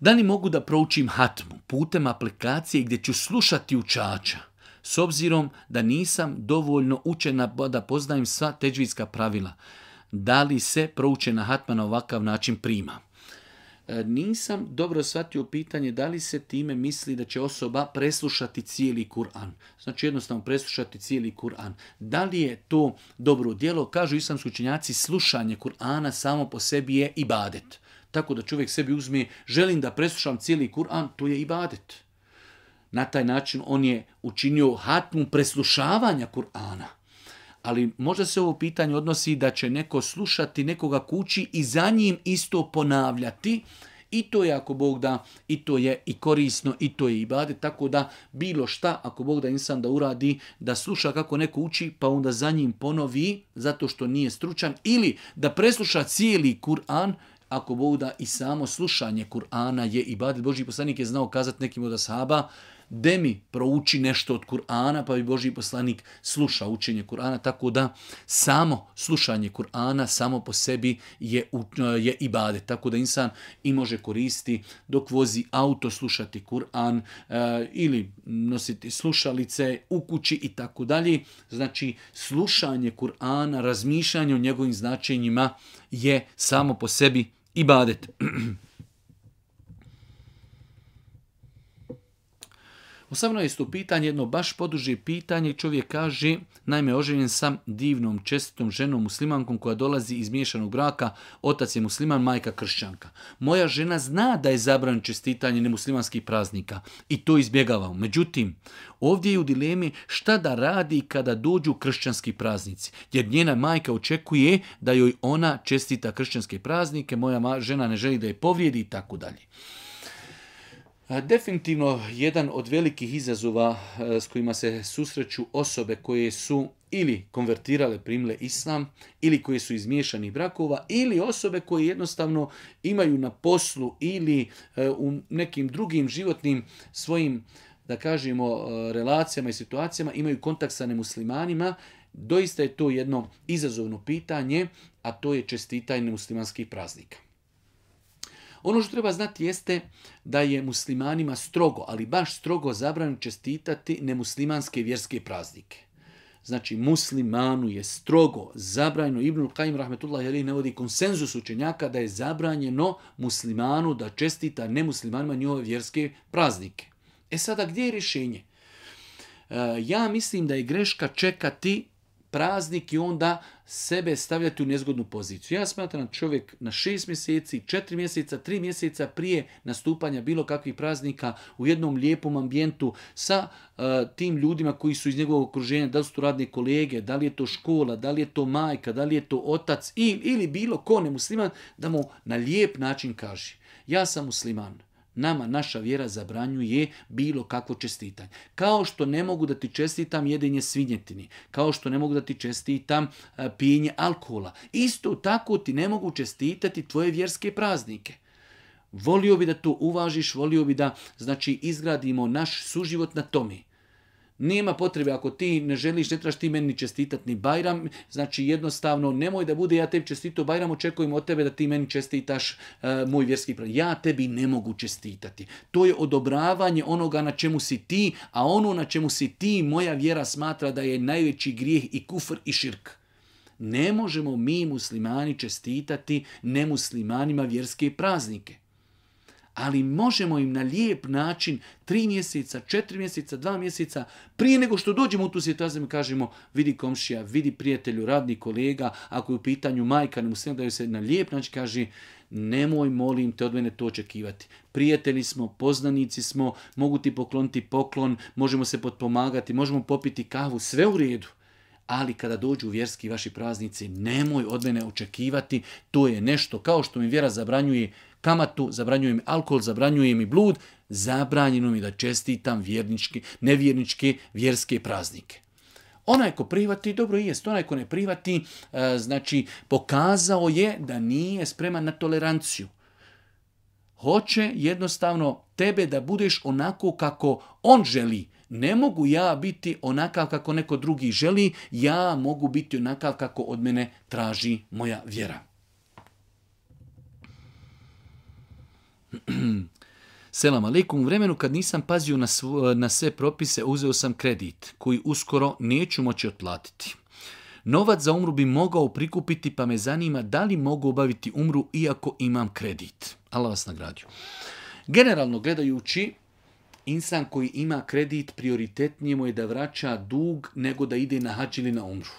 Da li mogu da proučim hatmu putem aplikacije gdje ću slušati učača, s obzirom da nisam dovoljno učena da poznajem sva teđvidska pravila? Da li se proučena hatma na ovakav način prima? Nisam dobro shvatio pitanje da li se time misli da će osoba preslušati cijeli Kur'an. Znači jednostavno preslušati cijeli Kur'an. Da li je to dobro djelo? Kažu islamski učenjaci, slušanje Kur'ana samo po sebi je ibadet. Tako da čovjek sebi uzme, želim da preslušam cijeli Kur'an, to je ibadet. Na taj način on je učinio hatmu preslušavanja Kur'ana. Ali možda se ovo pitanje odnosi da će neko slušati nekoga kući i za njim isto ponavljati. I to je, ako Bog da, i to je i korisno, i to je ibadet. Tako da bilo šta, ako Bog da insan da uradi, da sluša kako neko uči, pa onda za njim ponovi, zato što nije stručan, ili da presluša cijeli Kur'an, ako Bog da i samo slušanje Kur'ana je ibadet. Božji poslanik je znao kazati nekim od ashaba, de mi prouči nešto od Kur'ana, pa bi Božji poslanik slušao učenje Kur'ana, tako da samo slušanje Kur'ana samo po sebi je, je ibadet. Tako da insan i može koristiti dok vozi auto, slušati Kur'an e, ili nositi slušalice u kući i tako dalje. Znači slušanje Kur'ana, razmišljanje o njegovim značenjima je samo po sebi ibadet. osamnaesto pitanje, jedno baš poduže pitanje. Čovjek kaže, naime, oženjen sam divnom, čestitom ženom muslimankom koja dolazi iz miješanog braka, otac je musliman, majka kršćanka. Moja žena zna da je zabranjeno čestitanje nemuslimanskih praznika i to izbjegavamo. Međutim, ovdje je u dilemi šta da radi kada dođu kršćanski praznici, jer njena majka očekuje da joj ona čestita kršćanske praznike, moja žena ne želi da je povrijedi i tako dalje. Definitivno jedan od velikih izazova s kojima se susreću osobe koje su ili konvertirale, primile islam, ili koje su iz miješanih brakova, ili osobe koje jednostavno imaju na poslu ili u nekim drugim životnim svojim, da kažemo, relacijama i situacijama imaju kontakt sa nemuslimanima. Doista je to jedno izazovno pitanje, a to je čestitanje nemuslimanskih praznika. Ono što treba znati jeste da je muslimanima strogo, ali baš strogo zabranjeno čestitati nemuslimanske vjerske praznike. Znači muslimanu je strogo zabranjeno, Ibnul Kajim rahmetullahi alejhi navodi konsenzus učenjaka da je zabranjeno muslimanu da čestita nemuslimanima njihove vjerske praznike. E sada, gdje je rješenje? E, ja mislim da je greška čekati praznik i onda sebe stavljati u nezgodnu poziciju. Ja smatram da čovjek na šest mjeseci, četiri mjeseca, tri mjeseca prije nastupanja bilo kakvih praznika u jednom lijepom ambijentu sa uh, tim ljudima koji su iz njegovog okruženja, da li su to radne kolege, da li je to škola, da li je to majka, da li je to otac ili, ili bilo ko nemusliman, da mu na lijep način kaže: ja sam musliman. Nama naša vjera zabranjuje bilo kakvo čestitanje. Kao što ne mogu da ti čestitam jedenje svinjetini, kao što ne mogu da ti čestitam pijenje alkohola, isto tako ti ne mogu čestitati tvoje vjerske praznike. Volio bi da to uvažiš, volio bi da, znači, izgradimo naš suživot na tome. Nema potrebe, ako ti ne želiš, ne trebaš ti meni čestitati ni Bajram, znači jednostavno nemoj da bude ja tebi čestitao Bajram, očekujem od tebe da ti meni čestitaš uh, moj vjerski praznik. Ja tebi ne mogu čestitati. To je odobravanje onoga na čemu si ti, a ono na čemu si ti moja vjera smatra da je najveći grijeh i kufr i širk. Ne možemo mi muslimani čestitati nemuslimanima vjerske praznike. Ali možemo im na lijep način, tri mjeseca, četiri mjeseca, dva mjeseca, prije nego što dođemo u tu situaciju, mi kažemo: vidi komšija, vidi prijatelju, radni kolega, ako je u pitanju majka, ne muslim da joj se na lijep način kaže: nemoj, molim te, od mene to očekivati. Prijatelji smo, poznanici smo, mogu ti pokloniti poklon, možemo se potpomagati, možemo popiti kavu, sve u redu. Ali kada dođu vjerski vaši praznici, nemoj od mene očekivati, to je nešto kao što mi vjera zabranjuje kamatu, zabranjuje mi alkohol, zabranjuje mi blud, zabranjeno mi da čestitam vjerničke, nevjerničke vjerske praznike. Onaj ko prihvati, dobro jest, onaj ko ne prihvati, znači pokazao je da nije spreman na toleranciju. Hoće jednostavno tebe da budeš onako kako on želi. Ne mogu ja biti onakav kako neko drugi želi, ja mogu biti onakav kako od mene traži moja vjera. Selam aleikum. U vremenu kad nisam pazio na, svo, na sve propise, uzeo sam kredit koji uskoro neću moći otplatiti. Novac za umru bi mogao prikupiti, pa me zanima da li mogu obaviti umru iako imam kredit. Allah vas nagradio. Generalno gledajući, insan koji ima kredit, prioritetnije mu je da vraća dug nego da ide na hadž ili na umru.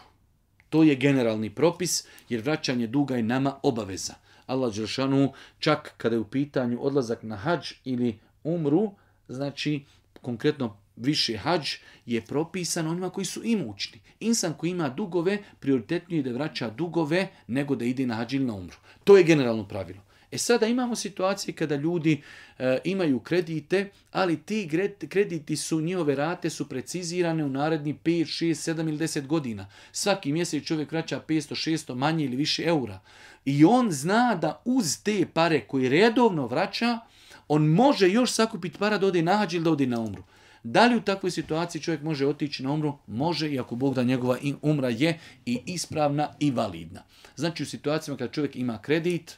To je generalni propis, jer vraćanje duga je nama obaveza. Allah dželešanu, čak kada je u pitanju odlazak na hadž ili umru, znači konkretno više hadž, je propisan onima koji su imućni. Insan koji ima dugove, prioritetnije je da vraća dugove nego da ide na hadž ili na umru. To je generalno pravilo. E sada imamo situacije kada ljudi e, imaju kredite, ali ti krediti su, njihove rate su precizirane u naredni pet, šest, sedam ili deset godina. Svaki mjesec čovjek vraća petsto, šesto, manje ili više eura. I on zna da uz te pare koje redovno vraća, on može još sakupiti para da ode na hadž ili da ode na umru. Da li u takvoj situaciji čovjek može otići na umru? Može, i ako Bog da njegova umra je i ispravna i validna. Znači u situacijama kada čovjek ima kredit,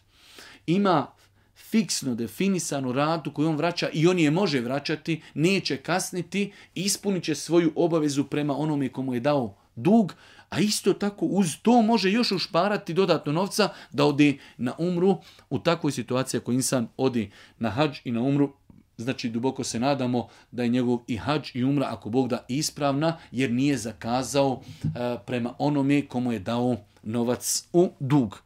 ima fiksno definisanu ratu koju on vraća i on je može vraćati, neće kasniti, ispunit će svoju obavezu prema onome komu je dao dug, a isto tako uz to može još ušparati dodatno novca da ode na umru. U takvoj situaciji ako insan ode na hadž i na umru, znači duboko se nadamo da je njegov i hadž i umra, ako Bog da, ispravna, jer nije zakazao uh, prema onome komu je dao novac u dug.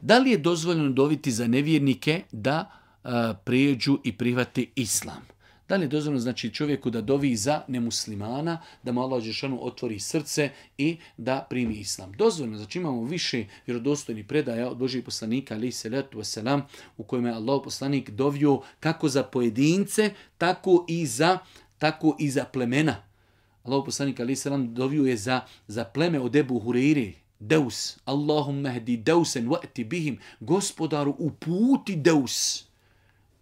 Da li je dozvoljeno doviti za nevjernike da a, prijeđu i prihvati islam? Da li je dozvoljeno znači čovjeku da dovi za nemuslimana, da mu Allah dželešanu otvori srce i da primi islam? Dozvoljeno, znači imamo više vjerodostojnih predaja od Božijeg poslanika alejhi selatu vesselam u kojima je Allah poslanik dovio kako za pojedince, tako i za, tako i za plemena. Allah poslanik alejhi selam dovio je za, za pleme od Ebu Hureyre, Deus, Allahumma hdi Deusen wa'ti bihim, gospodaru uputi Deus.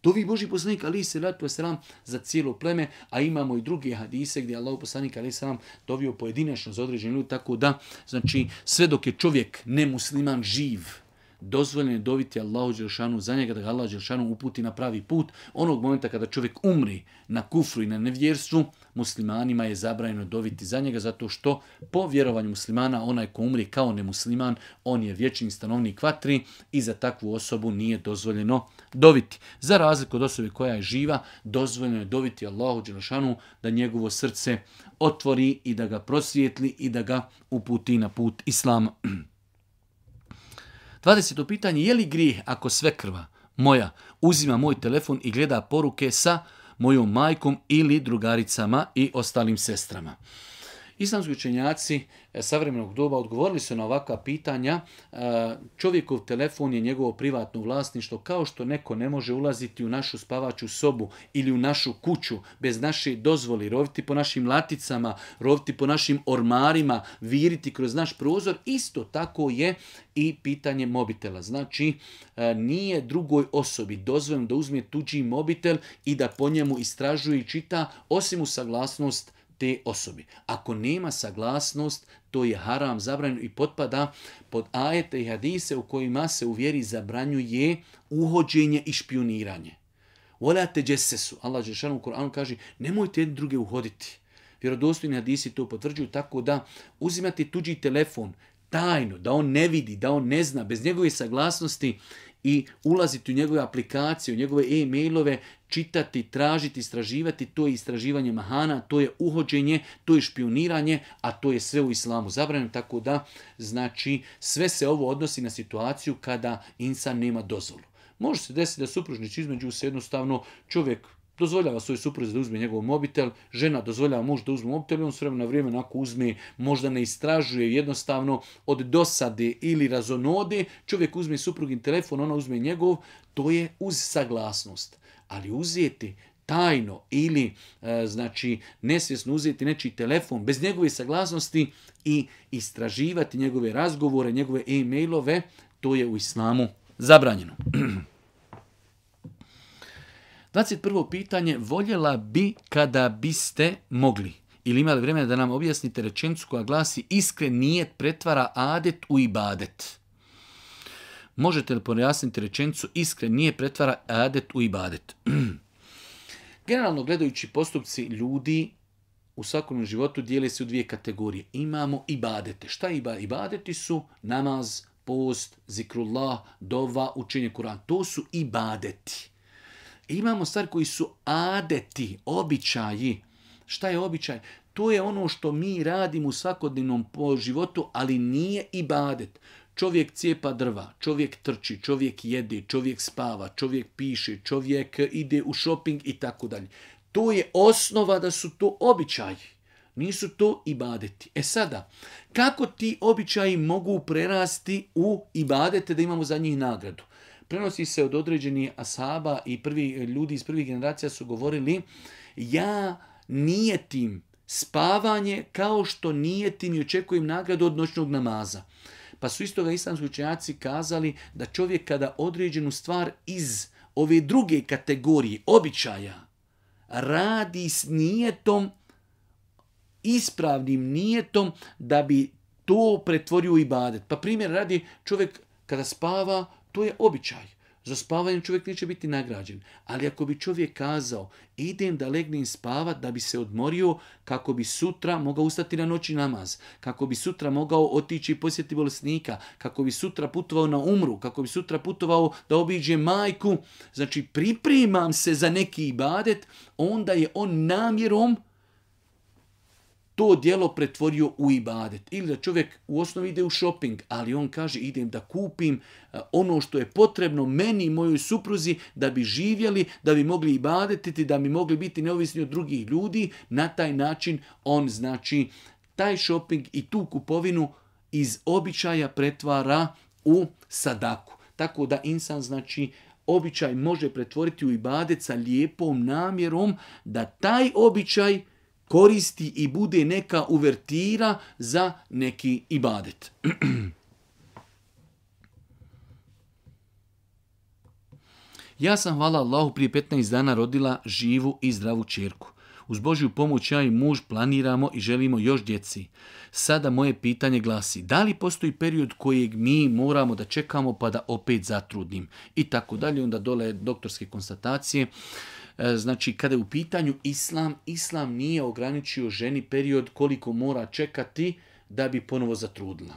Dovi Božji poslanik alejhi selatu vesselam za cijelo pleme, a imamo i druge hadise gdje Allah poslanik alejhi selam dovio pojedinačno za određeni ljudi, tako da znači sve dok je čovjek nemusliman živ, dozvoljeno je doviti Allahu dželešanu za njega da ga Allah dželešanu uputi na pravi put. Onog momenta kada čovjek umri na kufru i na nevjerstvu, muslimanima je zabranjeno doviti za njega, zato što po vjerovanju muslimana onaj ko umri kao nemusliman, on je vječni stanovnik vatri i za takvu osobu nije dozvoljeno doviti. Za razliku od osobe koja je živa, dozvoljeno je doviti Allahu dželešanu da njegovo srce otvori i da ga prosvijetli i da ga uputi na put islama. dvadeseto pitanje, je li grijeh ako svekrva moja uzima moj telefon i gleda poruke sa mojom majkom ili drugaricama i ostalim sestrama? Islamski učenjaci savremenog doba odgovorili su na ovakva pitanja. Čovjekov telefon je njegovo privatno vlasništvo, kao što neko ne može ulaziti u našu spavaču sobu ili u našu kuću bez naše dozvoli, roviti po našim laticama, roviti po našim ormarima, viriti kroz naš prozor. Isto tako je i pitanje mobitela. Znači, nije drugoj osobi dozvoljeno da uzme tuđi mobitel i da po njemu istražuje i čita, osim u saglasnost te osobi. Ako nema saglasnost, to je haram, zabranjeno i potpada pod ajete i hadise u kojima se u vjeri zabranjuje uhođenje i špioniranje. Wala tajassasu. Allah dželešanu u Kur'anu kaže nemojte jedni druge uhoditi. Vjerodostojni hadisi to potvrđuju, tako da uzimati tuđi telefon tajno, da on ne vidi, da on ne zna, bez njegove saglasnosti i ulaziti u njegove aplikacije, u njegove e-mailove, čitati, tražiti, istraživati, to je istraživanje mahana, to je uhođenje, to je špioniranje, a to je sve u islamu zabranjeno, tako da znači sve se ovo odnosi na situaciju kada insan nema dozvolu. Može se desiti da supružnici između se jednostavno čovjek dozvoljava svoj supruzi da uzme njegov mobitel, žena dozvoljava muž da uzme mobitel i on s vremena na vrijeme onako uzme, možda ne istražuje, jednostavno od dosade ili razonode, čovjek uzme suprugin telefon, ona uzme njegov, to je uz saglasnost. Ali uzeti tajno ili e, znači nesvjesno uzeti nečiji telefon bez njegove saglasnosti i istraživati njegove razgovore, njegove e-mailove, to je u islamu zabranjeno. dvadeset prvo pitanje, voljela bi kada biste mogli ili imali vremena da nam objasnite rečenicu koja glasi iskren nijet pretvara adet u ibadet. Možete li pojasniti rečenicu iskren nijet pretvara adet u ibadet? Generalno gledajući postupci ljudi u svakom životu dijele se u dvije kategorije. Imamo ibadete. Šta iba? Ibadeti su namaz, post, zikrullah, dova, učenje Kur'ana. To su ibadeti. Imamo stvari koji su adeti, običaji. Šta je običaj? To je ono što mi radimo u svakodnevnom životu, ali nije ibadet. Čovjek cijepa drva, čovjek trči, čovjek jede, čovjek spava, čovjek piše, čovjek ide u šoping i tako dalje. To je osnova da su to običaji. Nisu to ibadeti. E sada, kako ti običaji mogu prerasti u ibadete da imamo za njih nagradu? Prenosi se od određenih ashaba i prvi ljudi iz prvih generacija su govorili, ja nijetim spavanje kao što nijetim i očekujem nagradu od noćnog namaza. Pa su istoga islamski učenjaci kazali da čovjek kada određenu stvar iz ove druge kategorije običaja radi s nijetom, ispravnim nijetom da bi to pretvorio u ibadet. Pa primjer radi, čovjek kada spava, to je običaj. Za spavanjem čovjek neće biti nagrađen. Ali ako bi čovjek kazao, idem da legnem spavat da bi se odmorio, kako bi sutra mogao ustati na noći namaz, kako bi sutra mogao otići i posjetiti bolesnika, kako bi sutra putovao na umru, kako bi sutra putovao da obiđe majku, znači pripremam se za neki ibadet, onda je on namjerom to djelo pretvorio u ibadet. Ili da čovjek u osnovi ide u shopping, ali on kaže idem da kupim ono što je potrebno meni i mojoj supruzi da bi živjeli, da bi mogli ibadetiti, da bi mogli biti neovisni od drugih ljudi. Na taj način on znači taj shopping i tu kupovinu iz običaja pretvara u sadaku. Tako da insan znači običaj može pretvoriti u ibadet sa lijepom namjerom da taj običaj koristi i bude neka uvertira za neki ibadet. Ja sam, hvala Allahu, prije petnaest dana rodila živu i zdravu ćerku. Uz Božju pomoć ja i muž planiramo i želimo još djeci. Sada moje pitanje glasi, da li postoji period kojeg mi moramo da čekamo pa da opet zatrudnim? I tako dalje, onda dole doktorske konstatacije. Znači, kada je u pitanju islam, islam nije ograničio ženi period koliko mora čekati da bi ponovo zatrudila.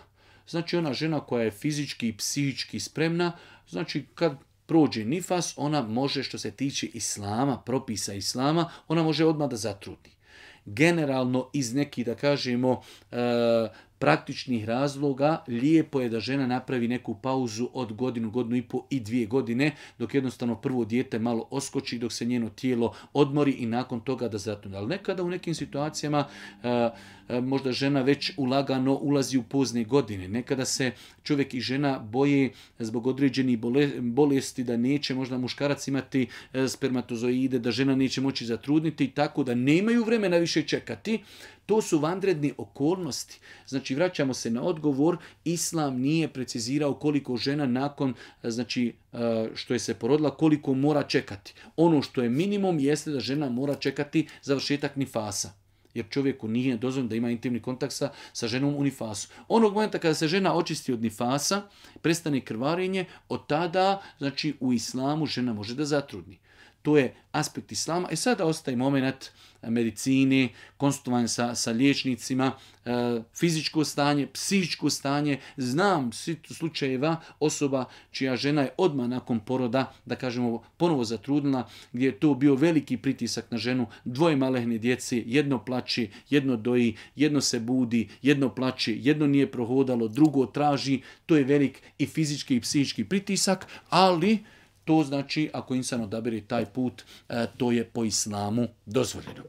Znači, ona žena koja je fizički i psihički spremna, znači kad prođe nifas, ona može, što se tiče islama, propisa islama, ona može odmah da zatrudi. Generalno, iz nekih, da kažemo, e, praktičnih razloga, lijepo je da žena napravi neku pauzu od godinu, godinu i po i dvije godine, dok jednostavno prvo dijete malo oskoči, dok se njeno tijelo odmori i nakon toga da zatrudni. Ali nekada u nekim situacijama e, e, možda žena već ulagano ulazi u pozne godine. Nekada se čovjek i žena boje zbog određenih bolesti da neće možda muškarac imati e, spermatozoide, da žena neće moći zatrudniti, tako da nemaju vremena više čekati. To su vanredne okolnosti. Znači, vraćamo se na odgovor, islam nije precizirao koliko žena nakon, znači, što je se porodila, koliko mora čekati. Ono što je minimum jeste da žena mora čekati završetak nifasa. Jer čovjeku nije dozvoljeno da ima intimni kontakt sa, sa ženom u nifasu. Onog momenta kada se žena očisti od nifasa, prestane krvarenje, od tada, znači, u islamu žena može da zatrudni. To je aspekt islama. E sada ostaje moment medicine, konsultovanje sa, sa liječnicima, e, fizičko stanje, psihičko stanje. Znam slučajeva osoba čija žena je odmah nakon poroda, da kažemo, ponovo zatrudnila, gdje je to bio veliki pritisak na ženu, dvoje malehne djece, jedno plače, jedno doji, jedno se budi, jedno plače, jedno nije prohodalo, drugo traži. To je velik i fizički i psihički pritisak, ali to znači, ako insan odabere taj put, to je po islamu dozvoljeno.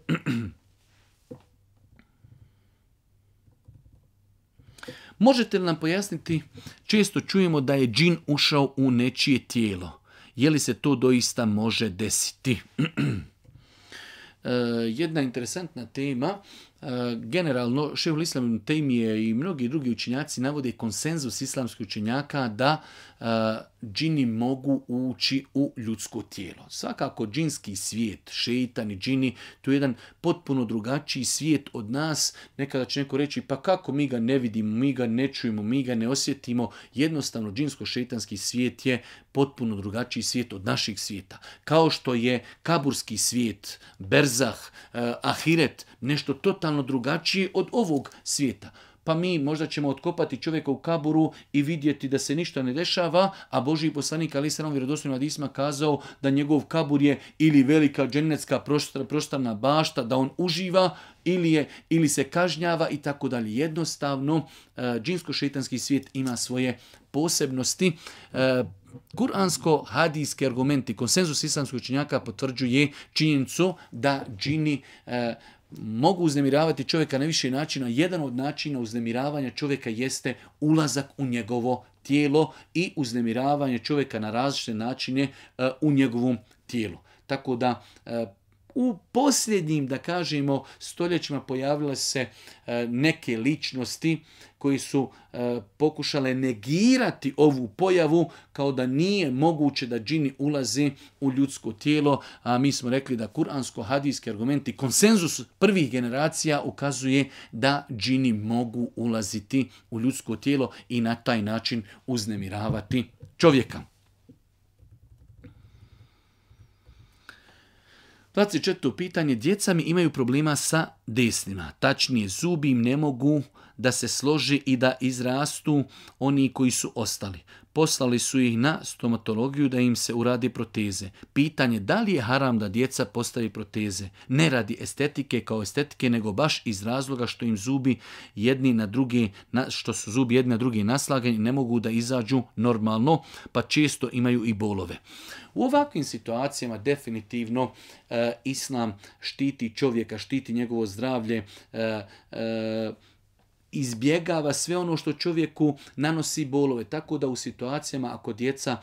Možete li nam pojasniti, često čujemo da je džin ušao u nečije tijelo. Je li se to doista može desiti? Jedna interesantna tema. generalno Šejhul Islam ibn Tejmije i mnogi drugi učenjaci navode konsenzus islamskih učenjaka da džini mogu ući u ljudsko tijelo. Svakako džinski svijet, šeitan i džini, to je jedan potpuno drugačiji svijet od nas. Nekada će neko reći, pa kako mi ga ne vidimo, mi ga ne čujemo, mi ga ne osjetimo. Jednostavno, džinsko-šeitanski svijet je potpuno drugačiji svijet od naših svijeta. Kao što je kaburski svijet, berzah, ahiret, nešto totalno drugačije od ovog svijeta. Pa mi možda ćemo otkopati čovjeka u kaburu i vidjeti da se ništa ne dešava, a Božji poslanik alejhi selam vjerodostojnim hadisima kazao da njegov kabur je ili velika džennetska prostrana bašta, da on uživa ili je ili se kažnjava i tako dalje. Jednostavno, džinsko-šejtanski svijet ima svoje posebnosti. Kuransko-hadijski argumenti, konsenzus islamskih učenjaka potvrđuje činjenicu da džini mogu uznemiravati čovjeka na više načina. Jedan od načina uznemiravanja čovjeka jeste ulazak u njegovo tijelo i uznemiravanje čovjeka na različite načine u njegovom tijelu. Tako da u posljednjim, da kažemo, stoljećima pojavile se neke ličnosti koji su pokušale negirati ovu pojavu kao da nije moguće da džini ulaze u ljudsko tijelo, a mi smo rekli da kuransko-hadijski argumenti, konsenzus prvih generacija ukazuje da džini mogu ulaziti u ljudsko tijelo i na taj način uznemiravati čovjeka. dvadeset četvrto pitanje. Djeca mi imaju problema sa desnima. Tačnije, zubi im ne mogu da se složi i da izrastu oni koji su ostali. Poslali su ih na stomatologiju da im se uradi proteze. Pitanje, da li je haram da djeca postavi proteze? Ne radi estetike kao estetike, nego baš iz razloga što im zubi jedni na drugi, što su zubi jedni na drugi naslagani, ne mogu da izađu normalno, pa često imaju i bolove. U ovakvim situacijama definitivno e, Islam štiti čovjeka, štiti njegovo zdravlje, e, e, izbjegava sve ono što čovjeku nanosi bolove. Tako da u situacijama ako djeca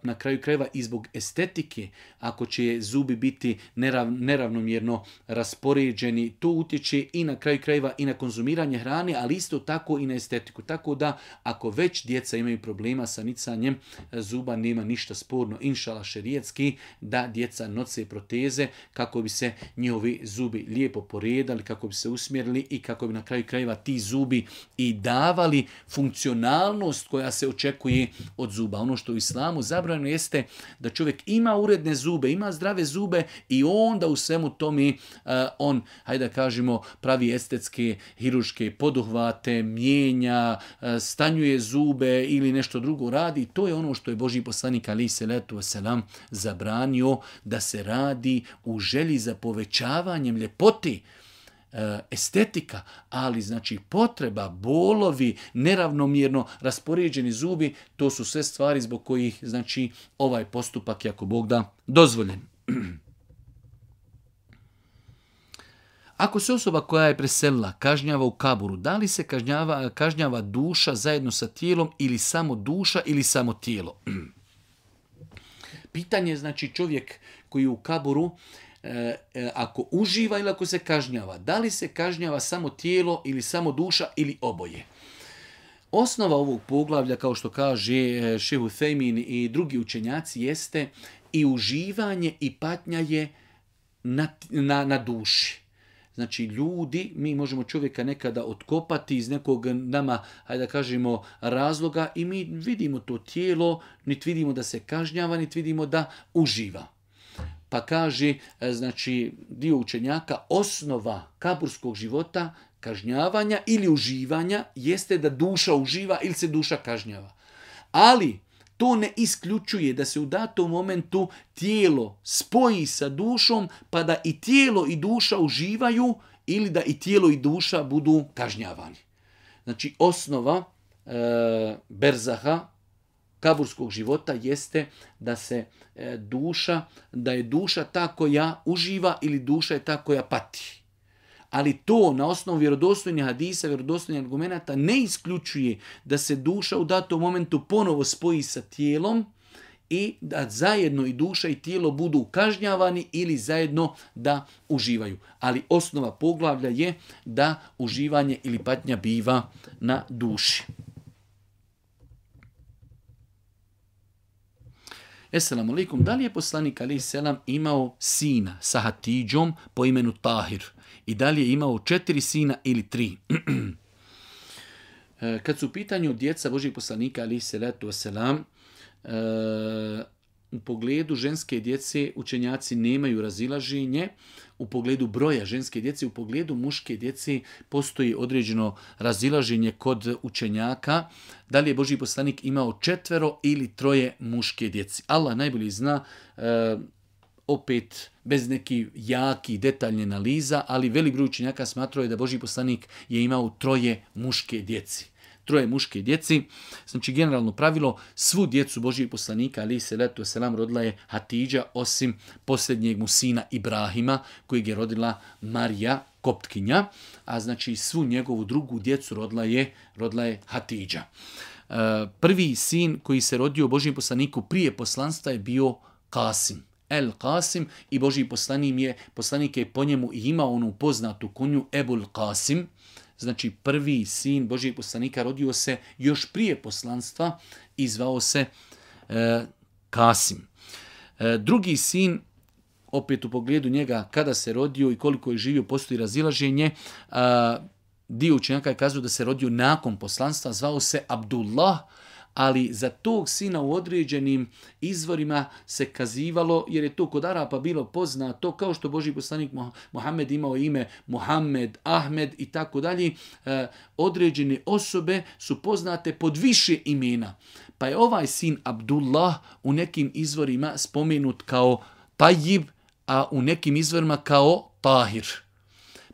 na kraju krajeva i zbog estetike, ako će zubi biti nerav, neravnomjerno raspoređeni, to utječe i na kraju krajeva i na konzumiranje hrane, ali isto tako i na estetiku. Tako da ako već djeca imaju problema sa nicanjem zuba, nema ništa sporno, inšala šerijetski, da djeca nose proteze kako bi se njihovi zubi lijepo poredali, kako bi se usmjerili i kako bi na kraju krajeva ti zubi i davali funkcionalnost koja se očekuje od zuba. Ono što u islamu zabranjeno jeste da čovjek ima uredne zube, ima zdrave zube i onda u svemu tome uh, on, hajde da kažemo, pravi estetske, hiruške poduhvate, mijenja, uh, stanjuje zube ili nešto drugo radi. To je ono što je Božji poslanik alejhi selatu vesselam zabranio da se radi u želji za povećavanjem ljepoti, estetika, ali znači potreba, bolovi, neravnomjerno raspoređeni zubi, to su sve stvari zbog kojih znači ovaj postupak je, ako Bog da, dozvoljen. Ako se osoba koja je preselila kažnjava u kaburu, da li se kažnjava, kažnjava duša zajedno sa tijelom ili samo duša ili samo tijelo? Pitanje je znači čovjek koji je u kaburu, E, e, ako uživa ili ako se kažnjava, da li se kažnjava samo tijelo ili samo duša ili oboje? Osnova ovog poglavlja, kao što kaže Šejh Uthejmin i drugi učenjaci, jeste i uživanje i patnja je na, na, na duši. Znači ljudi, mi možemo čovjeka nekada otkopati iz nekog nama, hajde da kažemo, razloga i mi vidimo to tijelo, niti vidimo da se kažnjava, niti vidimo da uživa. Pa kaže, znači, dio učenjaka, osnova kaburskog života, kažnjavanja ili uživanja, jeste da duša uživa ili se duša kažnjava. Ali to ne isključuje da se u datom momentu tijelo spoji sa dušom, pa da i tijelo i duša uživaju ili da i tijelo i duša budu kažnjavani. Znači, osnova e, berzaha, kaburskog života, jeste da se e, duša, da je duša ta koja uživa ili duša je ta koja pati. Ali to na osnovu vjerodostojnih hadisa, vjerodostojnih argumenata ne isključuje da se duša u datom momentu ponovo spoji sa tijelom i da zajedno i duša i tijelo budu kažnjavani ili zajedno da uživaju. Ali osnova poglavlja je da uživanje ili patnja biva na duši. Esselamu alaikum, da li je poslanik alejhi selam imao sina sa Hatidžom po imenu Tahir? I da li je imao četiri sina ili tri? Kad su u pitanju djeca Božijeg poslanika alejhi selatu vesselam, u pogledu ženske djece učenjaci nemaju razilaženje, u pogledu broja ženske djece, u pogledu muške djece postoji određeno razilaženje kod učenjaka, da li je Božji poslanik imao četvero ili troje muške djece. Allah najbolje zna, e, opet bez nekih jaki detaljne analiza, ali velik broj učenjaka smatrao je da Božji poslanik je imao troje muške djece. Troje muške djeci. Znači, generalno pravilo, svu djecu Božijeg poslanika, alejhi selatu vesselam, rodila je Hatidža, osim posljednjeg mu sina Ibrahima, kojeg je rodila Marija, Koptkinja, a znači svu njegovu drugu djecu rodila je, rodila je Hatidža. E, prvi sin koji se rodio Božijem poslaniku prije poslanstva je bio Kasim. El Kasim, i Božji poslanik je, poslanik je po njemu imao onu poznatu kunju Ebul Kasim. Znači, prvi sin Božijeg poslanika rodio se još prije poslanstva i zvao se e, Kasim. E, drugi sin, opet u pogledu njega kada se rodio i koliko je živio, postoji razilaženje. A, dio učenjaka je kazao da se rodio nakon poslanstva, zvao se Abdullah, ali za tog sina u određenim izvorima se kazivalo, jer je to kod Arapa bilo poznato, kao što Božji poslanik Muhammed imao ime Muhammed, Ahmed i tako dalje, određene osobe su poznate pod više imena. Pa je ovaj sin Abdullah u nekim izvorima spomenut kao Tajib, a u nekim izvorima kao Tahir.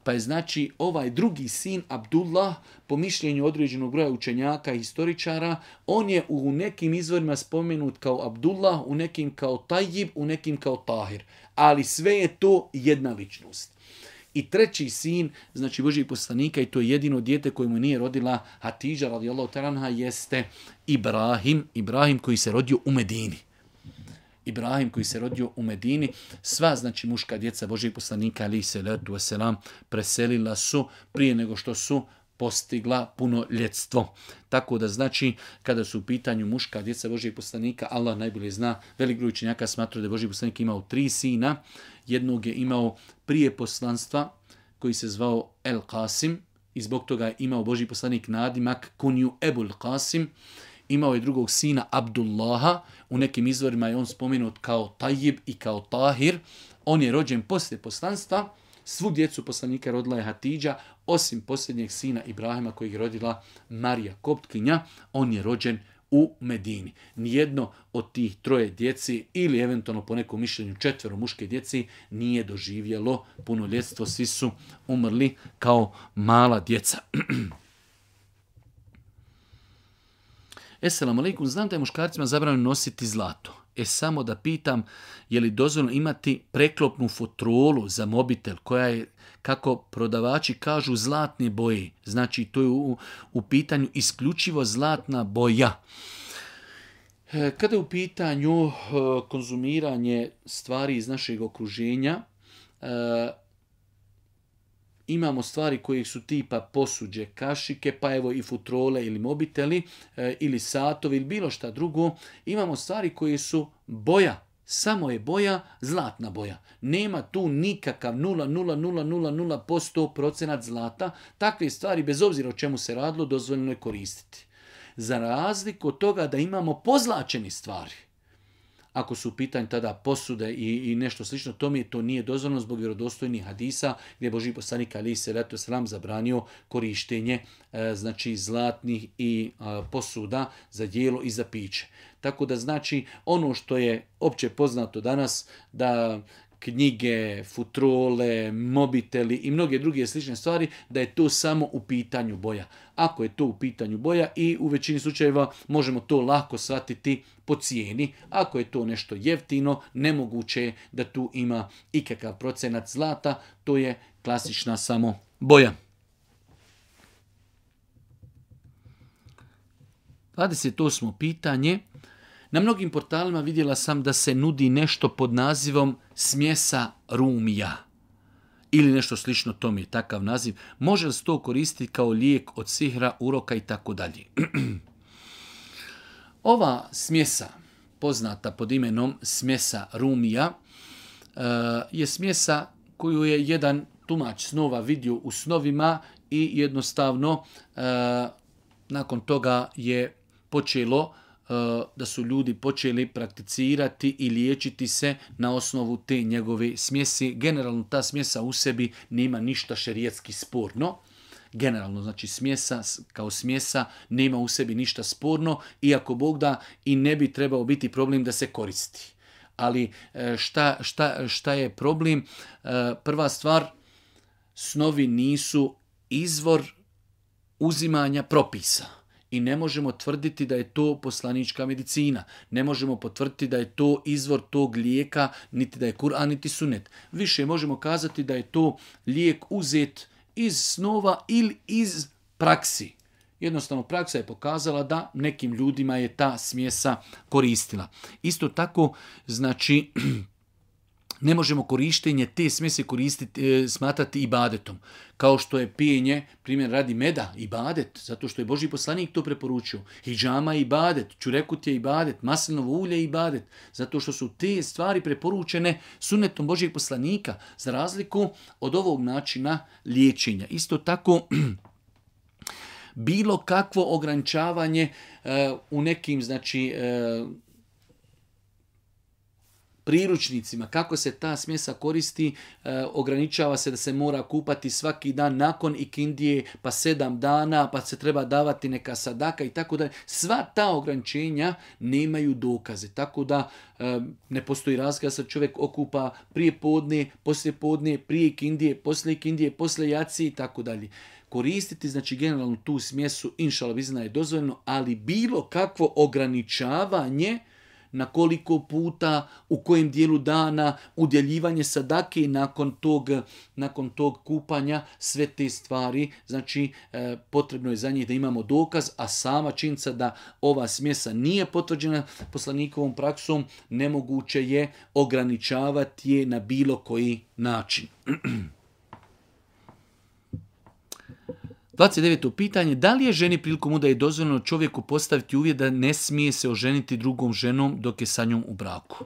Pa je znači ovaj drugi sin Abdullah, po mišljenju određenog broja učenjaka i historičara, on je u nekim izvorima spomenut kao Abdullah, u nekim kao Tajib, u nekim kao Tahir. Ali sve je to jedna ličnost. I treći sin, znači Božijeg poslanika, i to je jedino dijete koje mu nije rodila Hatidža radijallahu ta'ala anha, jeste Ibrahim, Ibrahim koji se rodio u Medini. Ibrahim koji se rodio u Medini, sva znači muška djeca Božijeg poslanika alejhi selatu vesselam preselila su prije nego što su postigla punoljetstvo. Tako da znači kada su u pitanju muška djeca Božijeg poslanika, Allah najbolje zna, velik broj učenjaka smatra da je Božji poslanik imao tri sina. Jednog je imao prije poslanstva koji se zvao El Kasim i zbog toga je imao Božji poslanik nadimak kunju Ebul Kasim. Imao je drugog sina Abdullaha, u nekim izvorima je on spomenut kao Tajib i kao Tahir. On je rođen poslije poslanstva, svu djecu poslanika rodila je Hatidža, osim posljednjeg sina Ibrahima kojeg je rodila Marija Koptkinja, on je rođen u Medini. Nijedno od tih troje djeci ili eventualno po nekom mišljenju četvero muške djeci nije doživjelo punoljetstvo, svi su umrli kao mala djeca. Esselamu alaikum, znam da je muškarcima zabranjeno nositi zlato. E samo da pitam, je li dozvoljeno imati preklopnu futrolu za mobitel koja je, kako prodavači kažu, zlatne boje. Znači to je u, u pitanju isključivo zlatna boja. E, kada je u pitanju e, konzumiranje stvari iz našeg okruženja, e, imamo stvari koje su tipa posuđe, kašike, pa evo i futrole ili mobiteli, e, ili satovi ili bilo šta drugo. Imamo stvari koje su boja, samo je boja, zlatna boja. Nema tu nikakav nula zarez nula nula nula posto procenat zlata. Takve stvari, bez obzira o čemu se radilo, dozvoljeno je koristiti. Za razliku od toga da imamo pozlačene stvari. Ako su u pitanju tada posude i, i nešto slično, to mi to nije dozvoljeno zbog vjerodostojnih hadisa gdje je Božji poslanik alejhi selatu vesselam zabranio korištenje e, znači zlatnih i e, posuda za jelo i za piće. Tako da znači ono što je opće poznato danas da knjige, futrole, mobiteli i mnoge druge slične stvari, da je to samo u pitanju boja. Ako je to u pitanju boja i u većini slučajeva možemo to lako shvatiti po cijeni. Ako je to nešto jeftino, nemoguće je da tu ima ikakav procenat zlata, to je klasična samo boja. dvadeset osmo pitanje. Na mnogim portalima vidjela sam da se nudi nešto pod nazivom smjesa rumija. Ili nešto slično tome je takav naziv. Može li se to koristiti kao lijek od sihra, uroka i tako dalje? Ova smjesa, poznata pod imenom smjesa rumija, je smjesa koju je jedan tumač snova vidio u snovima i jednostavno nakon toga je počelo da su ljudi počeli prakticirati i liječiti se na osnovu te njegove smjesi. Generalno ta smjesa u sebi nema ništa šerijetski sporno. Generalno, znači smjesa kao smjesa nema u sebi ništa sporno, iako Bog da i ne bi trebao biti problem da se koristi. Ali šta, šta, šta je problem? Prva stvar, snovi nisu izvor uzimanja propisa. I ne možemo tvrditi da je to poslanička medicina. Ne možemo potvrditi da je to izvor tog lijeka, niti da je Kur'an, niti sunet. Više možemo kazati da je to lijek uzet iz snova ili iz praksi. Jednostavno praksa je pokazala da nekim ljudima je ta smjesa koristila. Isto tako, znači, ne možemo korištenje te smjese koristiti, e, smatrati ibadetom. Kao što je pijenje, primjer radi meda, ibadet, zato što je Božji poslanik to preporučio. Hidžama je ibadet, čurekut je ibadet, maslinovo ulje je ibadet, zato što su te stvari preporučene sunnetom Božjeg poslanika, za razliku od ovog načina liječenja. Isto tako, bilo kakvo ograničavanje e, u nekim, znači, e, priručnicima, kako se ta smjesa koristi, e, ograničava se da se mora kupati svaki dan nakon ikindije, pa sedam dana, pa se treba davati neka sadaka i tako dalje. Sva ta ograničenja nemaju dokaze, tako da e, ne postoji razlika da se čovjek okupa prije podne, poslije podne, prije ikindije, poslije ikindije, poslije jaci i tako dalje. Koristiti, znači generalno tu smjesu, inšala bizna je dozvoljeno, ali bilo kakvo ograničavanje na koliko puta, u kojem dijelu dana, udjeljivanje sadake nakon tog, nakon tog kupanja, sve te stvari, znači e, potrebno je za njih da imamo dokaz, a sama činjenica da ova smjesa nije potvrđena poslanikovom praksom, nemoguće je ograničavati je na bilo koji način. dvadeset deveto pitanje, da li je ženi prilikom udaje dozvoljeno čovjeku postaviti uvjet da ne smije se oženiti drugom ženom dok je sa njom u braku?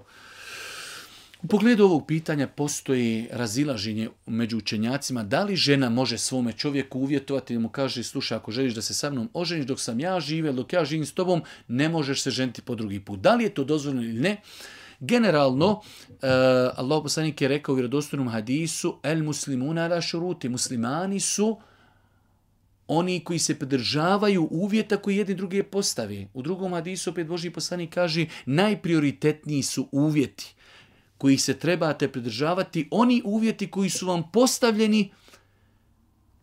U pogledu ovog pitanja postoji razilaženje među učenjacima da li žena može svome čovjeku uvjetovati da mu kaže slušaj, ako želiš da se sa mnom oženiš dok sam ja žive, dok ja živim s tobom, ne možeš se ženiti po drugi put. Da li je to dozvoljeno ili ne? Generalno, uh, Allah poslanik je rekao u vjerodostojnom hadisu, el muslimuna ala šuruti, muslimani su oni koji se pridržavaju uvjeta koji jedni druge postave. U drugom hadisu opet Božji poslanik kaže najprioritetniji su uvjeti koji se trebate pridržavati, oni uvjeti koji su vam postavljeni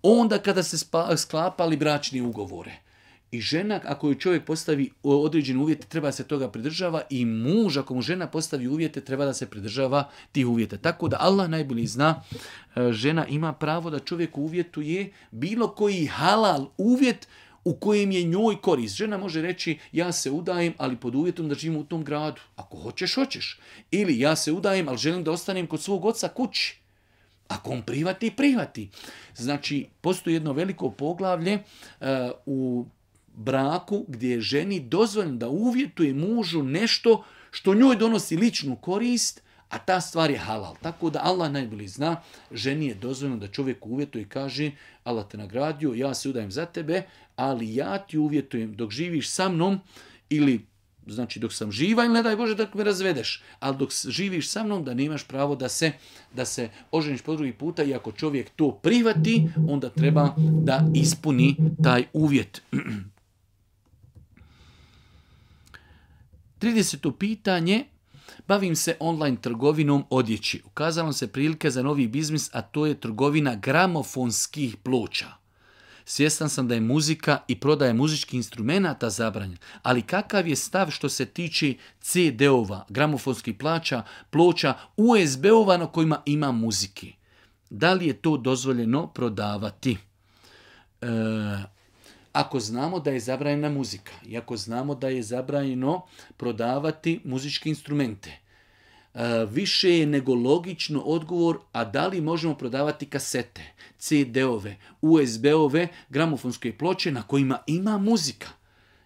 onda kada se sklapali bračni ugovore. I žena, ako joj čovjek postavi određene uvjete, treba se toga pridržava, i muž, ako mu žena postavi uvjete, treba da se pridržava tih uvjeta. Tako da Allah najbolje zna, žena ima pravo da čovjek uvjetuje bilo koji halal uvjet u kojem je njoj korist. Žena može reći ja se udajem, ali pod uvjetom da živim u tom gradu. Ako hoćeš, hoćeš. Ili ja se udajem, ali želim da ostanem kod svog oca kući. Ako on prihvati, prihvati. Znači, postoji jedno veliko poglavlje uh, u braku gdje je ženi dozvoljeno da uvjetuje mužu nešto što njoj donosi ličnu korist, a ta stvar je halal. Tako da Allah najbolje zna, ženi je dozvoljeno da čovjek uvjetuje i kaže Allah te nagradio, ja se udajem za tebe, ali ja ti uvjetujem dok živiš sa mnom, ili znači dok sam živa, ili ne daj Bože da me razvedeš, ali dok živiš sa mnom da nemaš pravo da se, da se oženiš po drugi puta, i ako čovjek to prihvati, onda treba da ispuni taj uvjet. trideseto pitanje, bavim se online trgovinom odjeći. Ukazala se prilike za novi biznis, a to je trgovina gramofonskih ploča. Svjestan sam da je muzika i prodaja muzičkih instrumenata zabranjena, ali kakav je stav što se tiče ce de-ova, gramofonskih ploča, ploča u es be-ova na kojima ima muzike? Da li je to dozvoljeno prodavati? E, ako znamo da je zabranjena muzika i ako znamo da je zabranjeno prodavati muzičke instrumente, više je nego logično odgovor, a da li možemo prodavati kasete, ce de-ove, u es be-ove, gramofonske ploče na kojima ima muzika.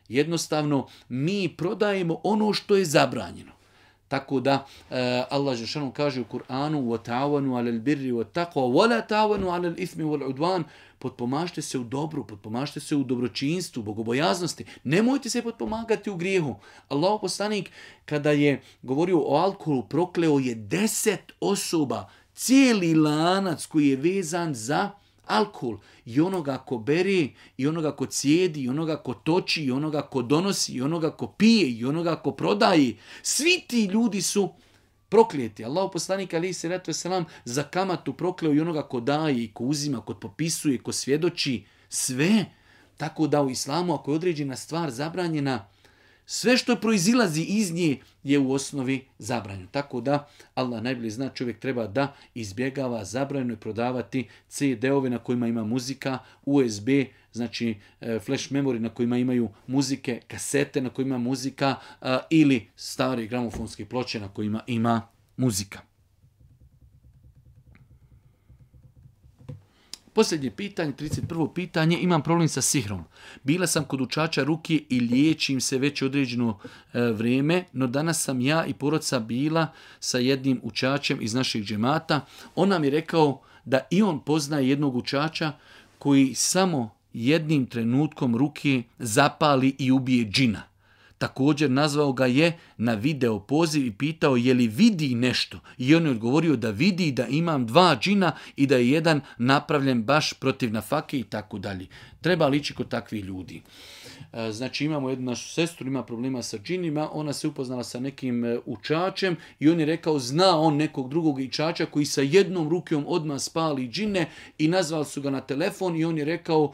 Jednostavno, mi prodajemo ono što je zabranjeno. Tako da uh, Allah dželle kaže u Kur'anu: "Wa-ta'awanu 'alal birri wat-taqwa wa la ta'awanu 'alal ithmi wal-'udwan." Potpomažite se u dobru, potpomažite se u dobročinstvu, bogobojaznosti. Nemojte se potpomagati u grijehu. Allahov poslanik kada je govorio o alkoholu, prokleo je deset osoba, cijeli lanac koji je vezan za alkohol. I onoga ko bere, i onoga ko cijedi, i onoga ko toči, i onoga ko donosi, i onoga ko pije, i onoga ko prodaje. Svi ti ljudi su proklijeti. Allahov poslanik alejhi selatu vesselam za kamatu prokleo i onoga ko daje, i ko uzima, ko popisuje, ko svjedoči. Sve. Tako da u islamu, ako je određena stvar zabranjena, sve što proizilazi iz nje je u osnovi zabranjeno. Tako da Allah najbolje zna, čovjek treba da izbjegava zabranjeno prodavati ce de-ove na kojima ima muzika, u es be, znači flash memory na kojima imaju muzike, kasete na kojima ima muzika ili stare gramofonske ploče na kojima ima muzika. Posljednje pitanje, trideset prvo pitanje, imam problem sa sihrom. Bila sam kod učača ruke i liječim se već određeno e, vrijeme, no danas sam ja i porodica bila sa jednim učačem iz našeg džemata. On nam je rekao da i on poznaje jednog učača koji samo jednim trenutkom ruke zapali i ubije džina. Također nazvao ga je na video poziv i pitao je li vidi nešto. I on je odgovorio da vidi da imam dva džina i da je jedan napravljen baš protiv nafake i tako dalje. Treba lići kod takvih ljudi. Znači imamo jednu našu sestru, ima problema sa džinima, ona se upoznala sa nekim učačem i on je rekao zna on nekog drugog učača koji sa jednom rukom odmah spali džine i nazvali su ga na telefon i on je rekao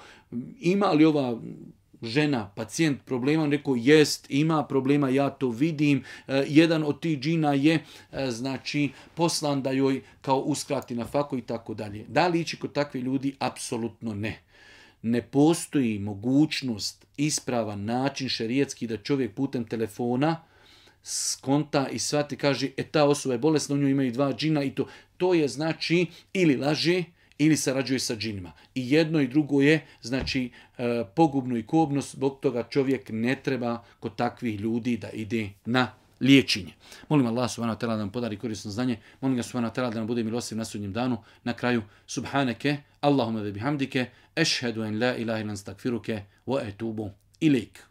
ima li ova žena, pacijent problema, on rekao jest, ima problema, ja to vidim, e, jedan od tih džina je e, znači poslan da joj kao uskrati nafaku i tako dalje. Da li ići kod takvih ljudi? Apsolutno ne. Ne postoji mogućnost, ispravan način šerijetski da čovjek putem telefona skonta i shvati, kaže, e ta osoba je bolesna, u njoj imaju dva džina i to, to je znači ili laže, ili sarađuje sa džinima. I jedno i drugo je, znači, e, pogubno i kobno, zbog toga čovjek ne treba kod takvih ljudi da ide na liječenje. Molim Allah subhanahu wa ta'ala da nam podari korisno znanje, molim ga subhanahu wa ta'ala da nam bude milostiv na sudnjem danu. Na kraju, subhaneke, Allahumma ve bihamdike, ešhedu en la ilaha illa anta, astakfiruke, wa etubu ilik.